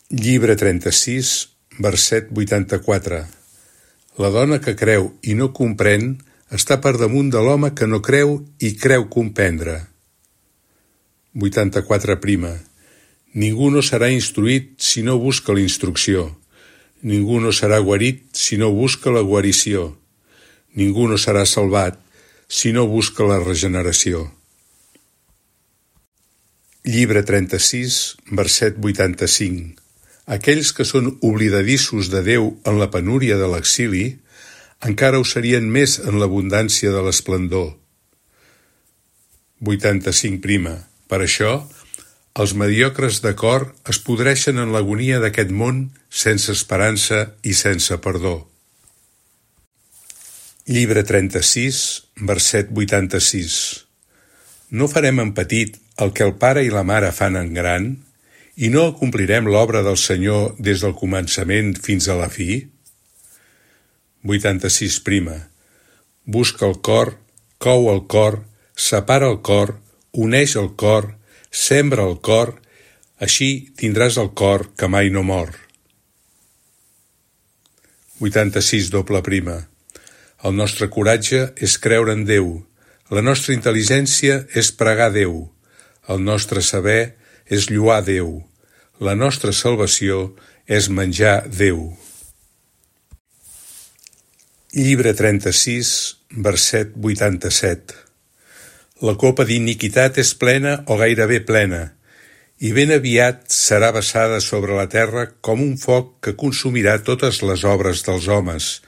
Llibre trenta-sis, verset vuitanta-quatre. La dona que creu i no comprèn està per damunt de l'home que no creu i creu comprendre. vuitanta-quatre prima. Ningú no serà instruït si no busca la instrucció. Ningú no serà guarit si no busca la guarició. Ningú no serà salvat si no busca la regeneració. Llibre trenta-sis, verset vuitanta-cinc. Aquells que són oblidadissos de Déu en la penúria de l'exili, encara ho serien més en l'abundància de l'esplendor. vuitanta-cinc prima. Per això, els mediocres de cor es podreixen en l'agonia d'aquest món sense esperança i sense perdó. Llibre trenta-sis, verset vuitanta-sis. No farem en petit el que el pare i la mare fan en gran, i no acomplirem l'obra del Senyor des del començament fins a la fi? vuitanta-sis prima. Busca el cor, cou el cor, separa el cor, uneix el cor, sembra el cor, així tindràs el cor que mai no mor. vuitanta-sis doble prima. El nostre coratge és creure en Déu, la nostra intel·ligència és pregar Déu, el nostre saber és lloar Déu, la nostra salvació és menjar Déu. Llibre trenta-sis, verset vuitanta-set. La copa d'iniquitat és plena o gairebé plena, i ben aviat serà vessada sobre la terra com un foc que consumirà totes les obres dels homes,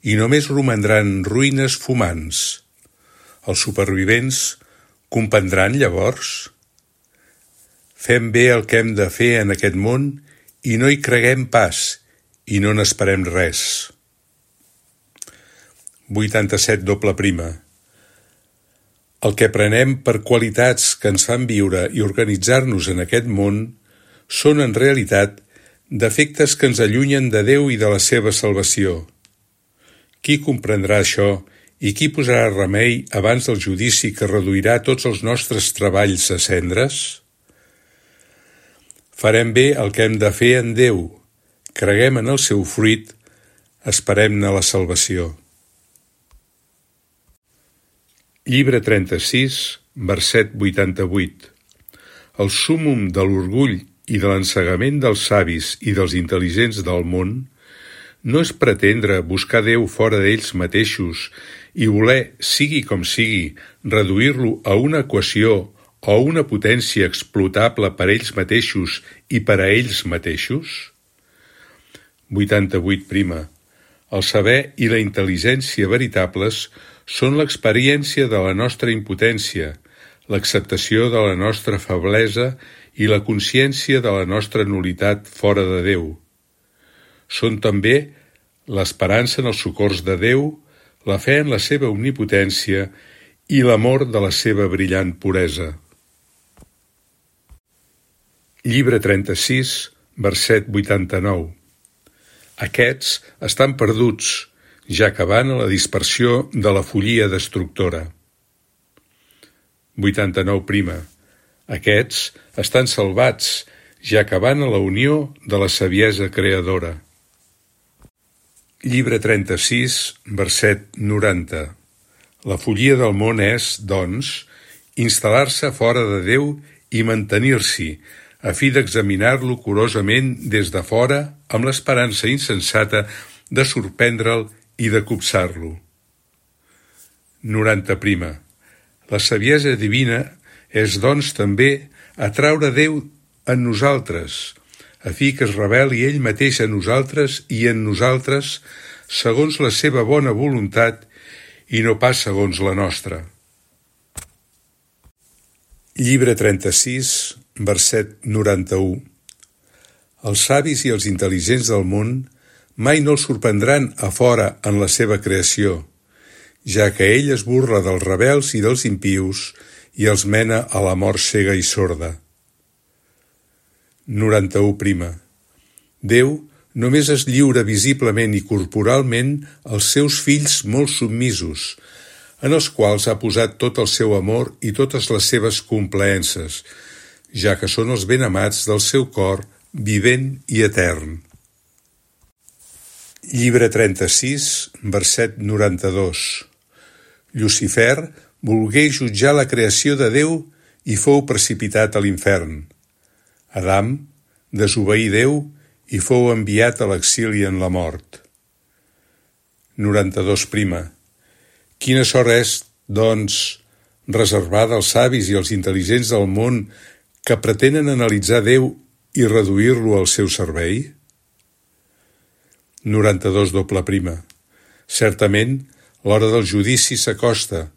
i només romandran ruïnes fumants. Els supervivents comprendran llavors? Fem bé el que hem de fer en aquest món i no hi creguem pas, i no n'esperem res. vuitanta-set doble prima. El que prenem per qualitats que ens fan viure i organitzar-nos en aquest món són en realitat defectes que ens allunyen de Déu i de la seva salvació. Qui comprendrà això i qui posarà remei abans del judici que reduirà tots els nostres treballs a cendres? Farem bé el que hem de fer en Déu, creguem en el seu fruit, esperem-ne la salvació. Llibre trenta-sis, verset vuitanta-vuit. El súmmum de l'orgull i de l'ensegament dels savis i dels intel·ligents del món no és pretendre buscar Déu fora d'ells mateixos i voler, sigui com sigui, reduir-lo a una equació o a una potència explotable per ells mateixos i per a ells mateixos? vuitanta-vuit prima. El saber i la intel·ligència veritables són l'experiència de la nostra impotència, l'acceptació de la nostra feblesa i la consciència de la nostra nul·litat fora de Déu. Són també l'esperança en els socors de Déu, la fe en la seva omnipotència i l'amor de la seva brillant puresa. Llibre trenta-sis, verset vuitanta-nou. Aquests estan perduts, ja que van a la dispersió de la follia destructora. vuitanta-nou prima. Aquests estan salvats, ja que van a la unió de la saviesa creadora. Llibre trenta-sis, verset noranta. La follia del món és, doncs, instal·lar-se fora de Déu i mantenir-s'hi, a fi d'examinar-lo curosament des de fora amb l'esperança insensata de sorprendre'l i de copsar-lo. noranta prima. La saviesa divina és, doncs, també atraure Déu en nosaltres, a fi que es reveli ell mateix a nosaltres i en nosaltres segons la seva bona voluntat i no pas segons la nostra. Llibre trenta-sis, verset noranta-u. Els savis i els intel·ligents del món mai no els sorprendran a fora en la seva creació, ja que ell es burla dels rebels i dels impius i els mena a la mort cega i sorda. noranta-u prima. Déu només es lliura visiblement i corporalment als seus fills molt submisos, en els quals ha posat tot el seu amor i totes les seves complaences, ja que són els benamats del seu cor vivent i etern. Llibre trenta-sis, verset noranta-dos. Llucifer volgué jutjar la creació de Déu i fou precipitat a l'infern. Adam desobeí Déu i fou enviat a l'exili en la mort. noranta-dos prima. Quina sort és, doncs, reservada als savis i als intel·ligents del món que pretenen analitzar Déu i reduir-lo al seu servei? noranta-dos doble prima. Certament, l'hora del judici s'acosta.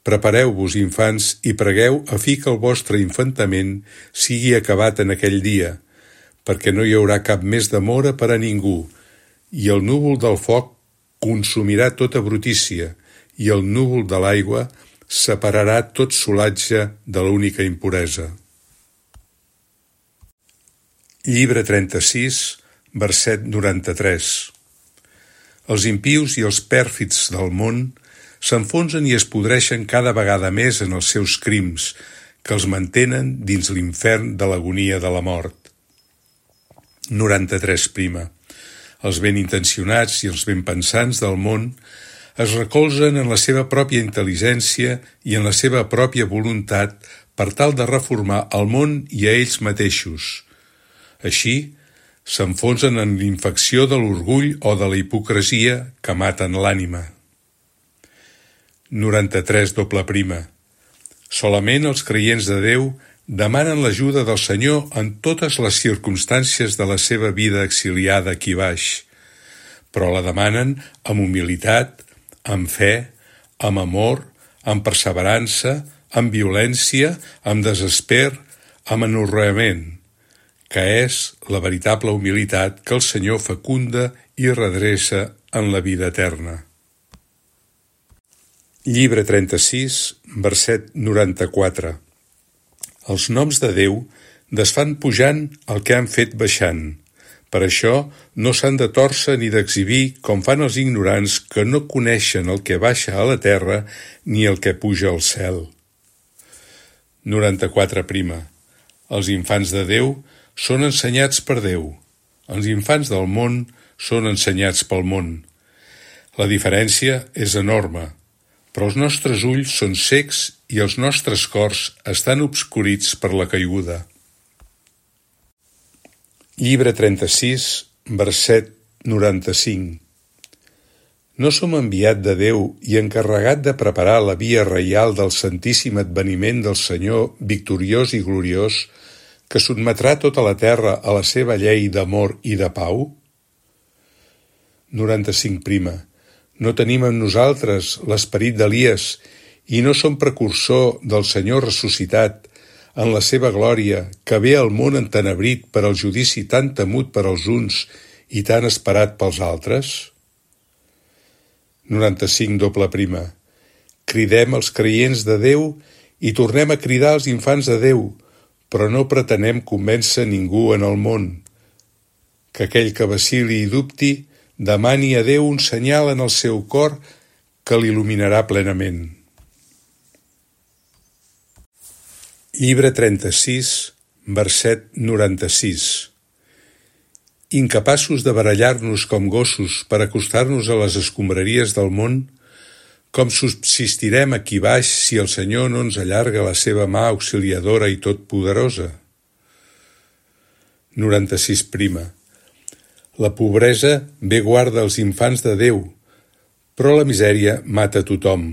Prepareu-vos, infants, i pregueu a fi que el vostre infantament sigui acabat en aquell dia, perquè no hi haurà cap més demora per a ningú, i el núvol del foc consumirà tota brutícia i el núvol de l'aigua separarà tot solatge de l'única impuresa. Llibre trenta-sis, verset noranta-tres. Els impius i els pèrfids del món s'enfonsen i es podreixen cada vegada més en els seus crims, que els mantenen dins l'infern de l'agonia de la mort. noranta-tres prima. Els ben intencionats i els ben pensants del món es recolzen en la seva pròpia intel·ligència i en la seva pròpia voluntat per tal de reformar el món i a ells mateixos. Així, s'enfonsen en l'infecció de l'orgull o de la hipocresia que maten l'ànima. noranta-tres doble prima. Solament els creients de Déu demanen l'ajuda del Senyor en totes les circumstàncies de la seva vida exiliada aquí baix, però la demanen amb humilitat, amb fe, amb amor, amb perseverança, amb violència, amb desesper, amb anorreament, que és la veritable humilitat que el Senyor fecunda i redreça en la vida eterna. Llibre trenta-sis, verset noranta-quatre. Els noms de Déu desfan pujant el que han fet baixant. Per això no s'han de tòrcer ni d'exhibir com fan els ignorants que no coneixen el que baixa a la terra ni el que puja al cel. noranta-quatre prima. Els infants de Déu són ensenyats per Déu. Els infants del món són ensenyats pel món. La diferència és enorme, però els nostres ulls són cecs i els nostres cors estan obscurits per la caiguda. Llibre trenta-sis, verset noranta-cinc. No som enviat de Déu i encarregat de preparar la via reial del santíssim adveniment del Senyor victoriós i gloriós, que sotmetrà tota la terra a la seva llei d'amor i de pau? noranta-cinc prima. No tenim en nosaltres l'esperit d'Elies i no som precursor del Senyor ressuscitat en la seva glòria, que ve al món entenebrit per al judici tan temut per als uns i tan esperat pels altres? noranta-cinc doble prima. Cridem els creients de Déu i tornem a cridar els infants de Déu, però no pretenem convèncer ningú en el món. Que aquell que vacili i dubti demani a Déu un senyal en el seu cor que l'il·luminarà plenament. Llibre trenta-sis, verset noranta-sis. Incapaços de barallar-nos com gossos per acostar-nos a les escombraries del món, com subsistirem aquí baix si el Senyor no ens allarga la seva mà auxiliadora i totpoderosa? noranta-sis prima. La pobresa bé guarda els infants de Déu, però la misèria mata tothom.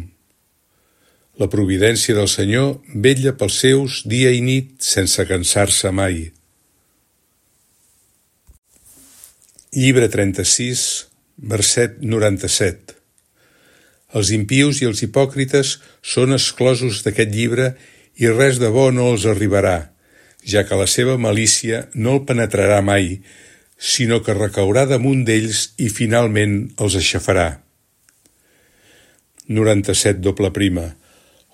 La providència del Senyor vetlla pels seus dia i nit sense cansar-se mai. Llibre trenta-sis, verset noranta-set. Els impius i els hipòcrites són exclosos d'aquest llibre i res de bo no els arribarà, ja que la seva malícia no el penetrarà mai, sinó que recaurà damunt d'ells i finalment els aixafarà. noranta-set doble prima.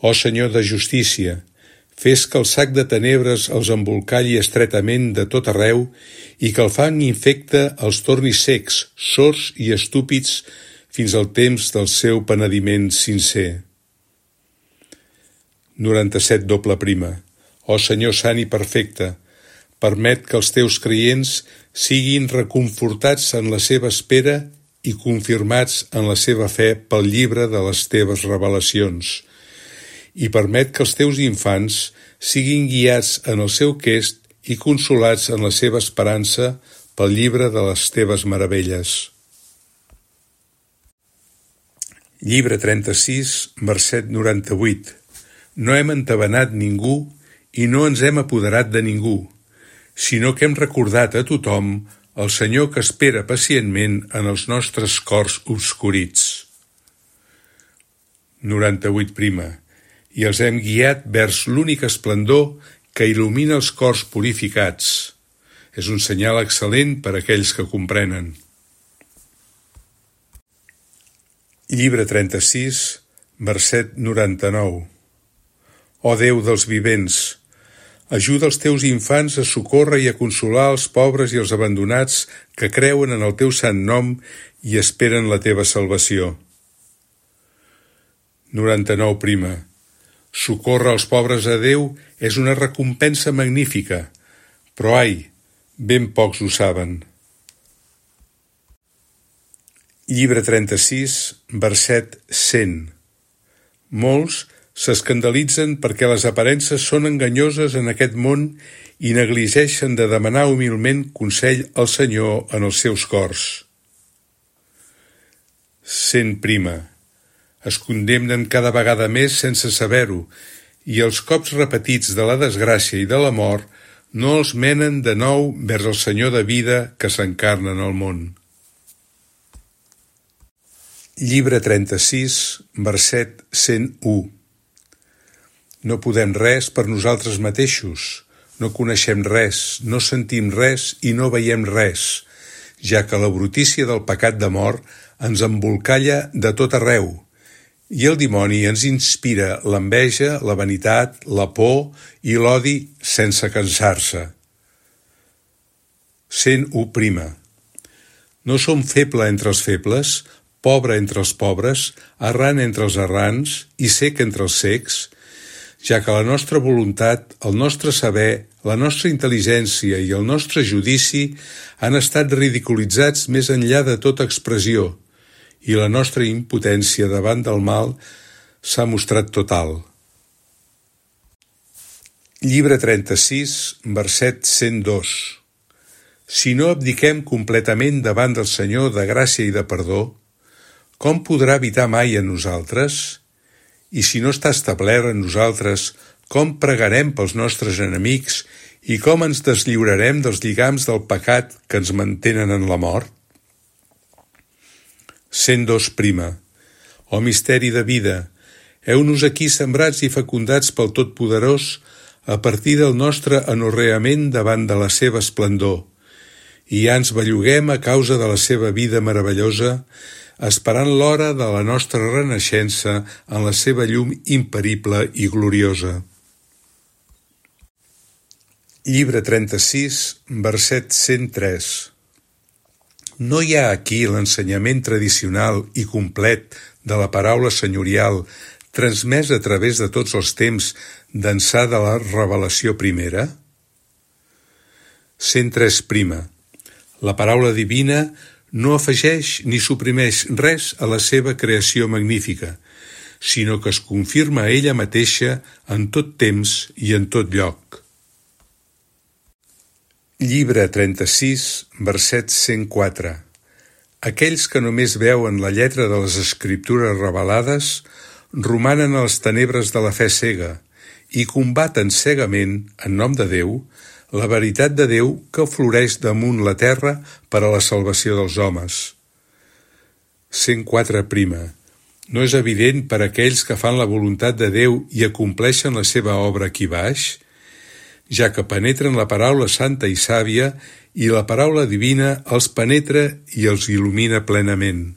Ó Senyor de justícia, fes que el sac de tenebres els embolcalli estretament de tot arreu i que el fang infecte els torni secs, sords i estúpids fins al temps del seu penediment sincer. noranta-set doble prima. Ó Senyor sant i perfecte, permet que els teus creients siguin reconfortats en la seva espera i confirmats en la seva fe pel llibre de les teves revelacions, i permet que els teus infants siguin guiats en el seu quest i consolats en la seva esperança pel llibre de les teves meravelles. Llibre trenta-sis, verset noranta-vuit. No hem entabanat ningú i no ens hem apoderat de ningú, sinó que hem recordat a tothom el Senyor que espera pacientment en els nostres cors obscurits. noranta-vuit prima. I els hem guiat vers l'únic esplendor que il·lumina els cors purificats. És un senyal excel·lent per a aquells que comprenen. Llibre trenta-sis, verset noranta-nou. Ó Déu dels vivents, ajuda els teus infants a socórrer i a consolar els pobres i els abandonats que creuen en el teu sant nom i esperen la teva salvació. noranta-nou prima. Socórrer els pobres a Déu és una recompensa magnífica, però ai, ben pocs ho saben. Llibre trenta-sis, verset cent. Molts s'escandalitzen perquè les aparences són enganyoses en aquest món i negligeixen de demanar humilment consell al Senyor en els seus cors. Cent prima. Es condemnen cada vegada més sense saber-ho, i els cops repetits de la desgràcia i de la mort no els menen de nou vers el Senyor de vida que s'encarna en el món. Llibre trenta-sis, verset cent u. No podem res per nosaltres mateixos, no coneixem res, no sentim res i no veiem res, ja que la brutícia del pecat de mort ens embolcalla de tot arreu, i el dimoni ens inspira l'enveja, la vanitat, la por i l'odi sense cansar-se. cent u prima. No som feble entre els febles, pobre entre els pobres, errant entre els errants i cec entre els cecs, ja que la nostra voluntat, el nostre saber, la nostra intel·ligència i el nostre judici han estat ridiculitzats més enllà de tota expressió, i la nostra impotència davant del mal s'ha mostrat total. Llibre trenta-sis, verset cent dos. Si no abdiquem completament davant del Senyor de gràcia i de perdó, com podrà habitar mai en nosaltres? I si no està establert en nosaltres, com pregarem pels nostres enemics i com ens deslliurarem dels lligams del pecat que ens mantenen en la mort? cent dos prima. Ó misteri de vida, heu-nos aquí sembrats i fecundats pel Totpoderós a partir del nostre anorreament davant de la seva esplendor, i ja ens belluguem a causa de la seva vida meravellosa, esperant l'hora de la nostra renaixença en la seva llum imperible i gloriosa. Llibre trenta-sis, verset cent tres. No hi ha aquí l'ensenyament tradicional i complet de la paraula senyorial transmès a través de tots els temps d'ençà de la revelació primera? cent tres prima. La paraula divina no afegeix ni suprimeix res a la seva creació magnífica, sinó que es confirma a ella mateixa en tot temps i en tot lloc. Llibre trenta-sis, verset cent quatre. Aquells que només veuen la lletra de les escriptures revelades romanen a les tenebres de la fe cega i combaten cegament, en nom de Déu, la veritat de Déu que floreix damunt la terra per a la salvació dels homes. cent quatre prima. No és evident per a aquells que fan la voluntat de Déu i acompleixen la seva obra aquí baix, ja que penetren la paraula santa i sàvia i la paraula divina els penetra i els il·lumina plenament.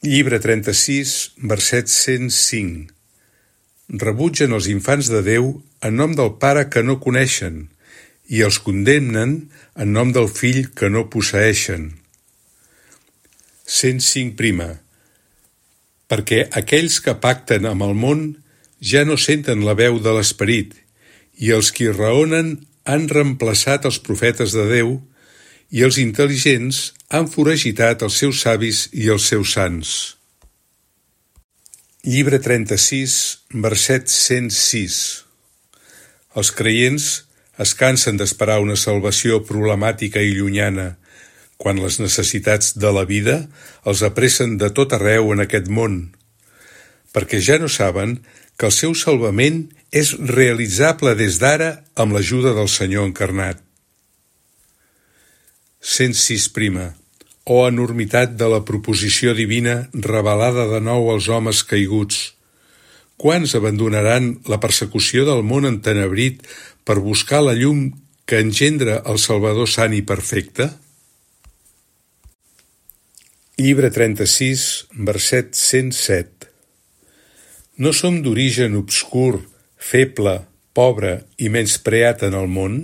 Llibre trenta-sis, verset cent cinc. Rebutgen els infants de Déu en nom del Pare que no coneixen i els condemnen en nom del Fill que no posseeixen. cent cinc prima. Perquè aquells que pacten amb el món ja no senten la veu de l'Esperit, i els qui raonen han reemplaçat els profetes de Déu, i els intel·ligents han foragitat els seus savis i els seus sants. Llibre trenta-sis, verset cent sis. Els creients es cansen d'esperar una salvació problemàtica i llunyana, quan les necessitats de la vida els apressen de tot arreu en aquest món, perquè ja no saben que el seu salvament és realitzable des d'ara amb l'ajuda del Senyor encarnat. cent sis prima. O enormitat de la proposició divina revelada de nou als homes caiguts. Quants abandonaran la persecució del món entenebrit per buscar la llum que engendra el Salvador sant i perfecte? Llibre trenta-sis, verset cent set. No som d'origen obscur, feble, pobre i menyspreat en el món?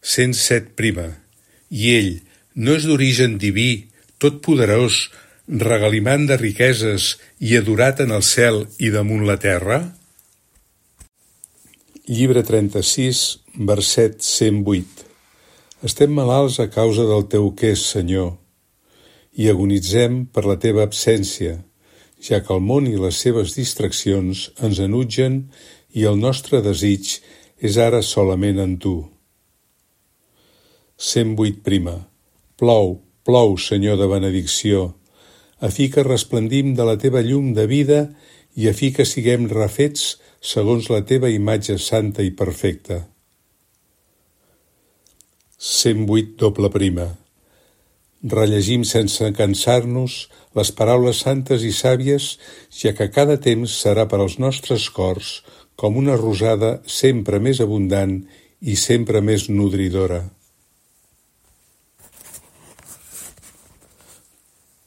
cent set prima. I ell no és d'origen diví, totpoderós, regalimant de riqueses i adorat en el cel i damunt la terra? Llibre trenta-sis, verset cent vuit. Estem malalts a causa del teu qués, Senyor, i agonitzem per la teva absència, ja que el món i les seves distraccions ens enutgen i el nostre desig és ara solament en tu. cent vuit prima. Plou, plou, Senyor de benedicció, a fi que resplendim de la teva llum de vida i a fi que siguem refets segons la teva imatge santa i perfecta. cent vuit doble prima. Rellegim sense cansar-nos les paraules santes i sàvies, ja que cada temps serà per als nostres cors com una rosada sempre més abundant i sempre més nodridora.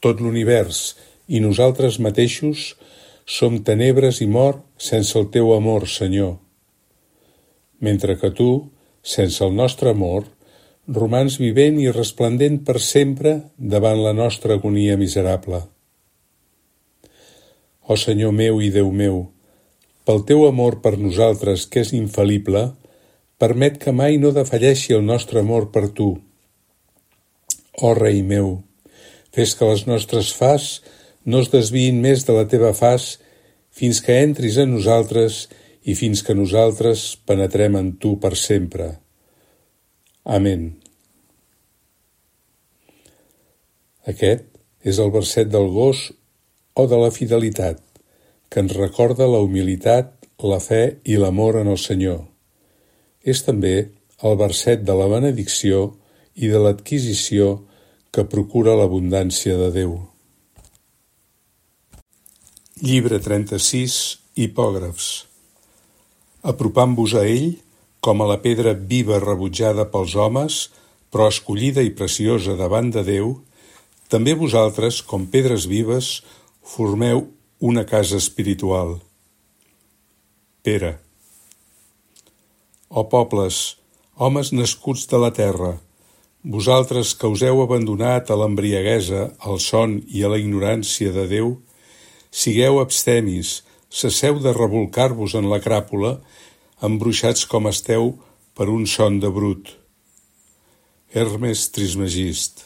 Tot l'univers i nosaltres mateixos som tenebres i mort sense el teu amor, Senyor, mentre que tu, sense el nostre amor, romans vivent i resplendent per sempre davant la nostra agonia miserable. Ó Senyor meu i Déu meu, pel teu amor per nosaltres, que és infal·lible, permet que mai no defalleixi el nostre amor per tu. Ó Rei meu, fes que les nostres faç no es desviïn més de la teva faç fins que entris en nosaltres i fins que nosaltres penetrem en tu per sempre. Amén. Aquest és el verset del gos o de la fidelitat, que ens recorda la humilitat, la fe i l'amor en el Senyor. És també el verset de la benedicció i de l'adquisició que procura l'abundància de Déu. Llibre trenta-sis, hipògrafs. Apropant-vos a ell, com a la pedra viva rebutjada pels homes, però escollida i preciosa davant de Déu, també vosaltres, com pedres vives, formeu una casa espiritual. Pere. Ó pobles, homes nascuts de la terra, vosaltres que us heu abandonat a l'embriaguesa, al son i a la ignorància de Déu, sigueu abstemis, cesseu de rebolcar-vos en la cràpula, embruixats com esteu per un son de brut. Hermes Trismegist.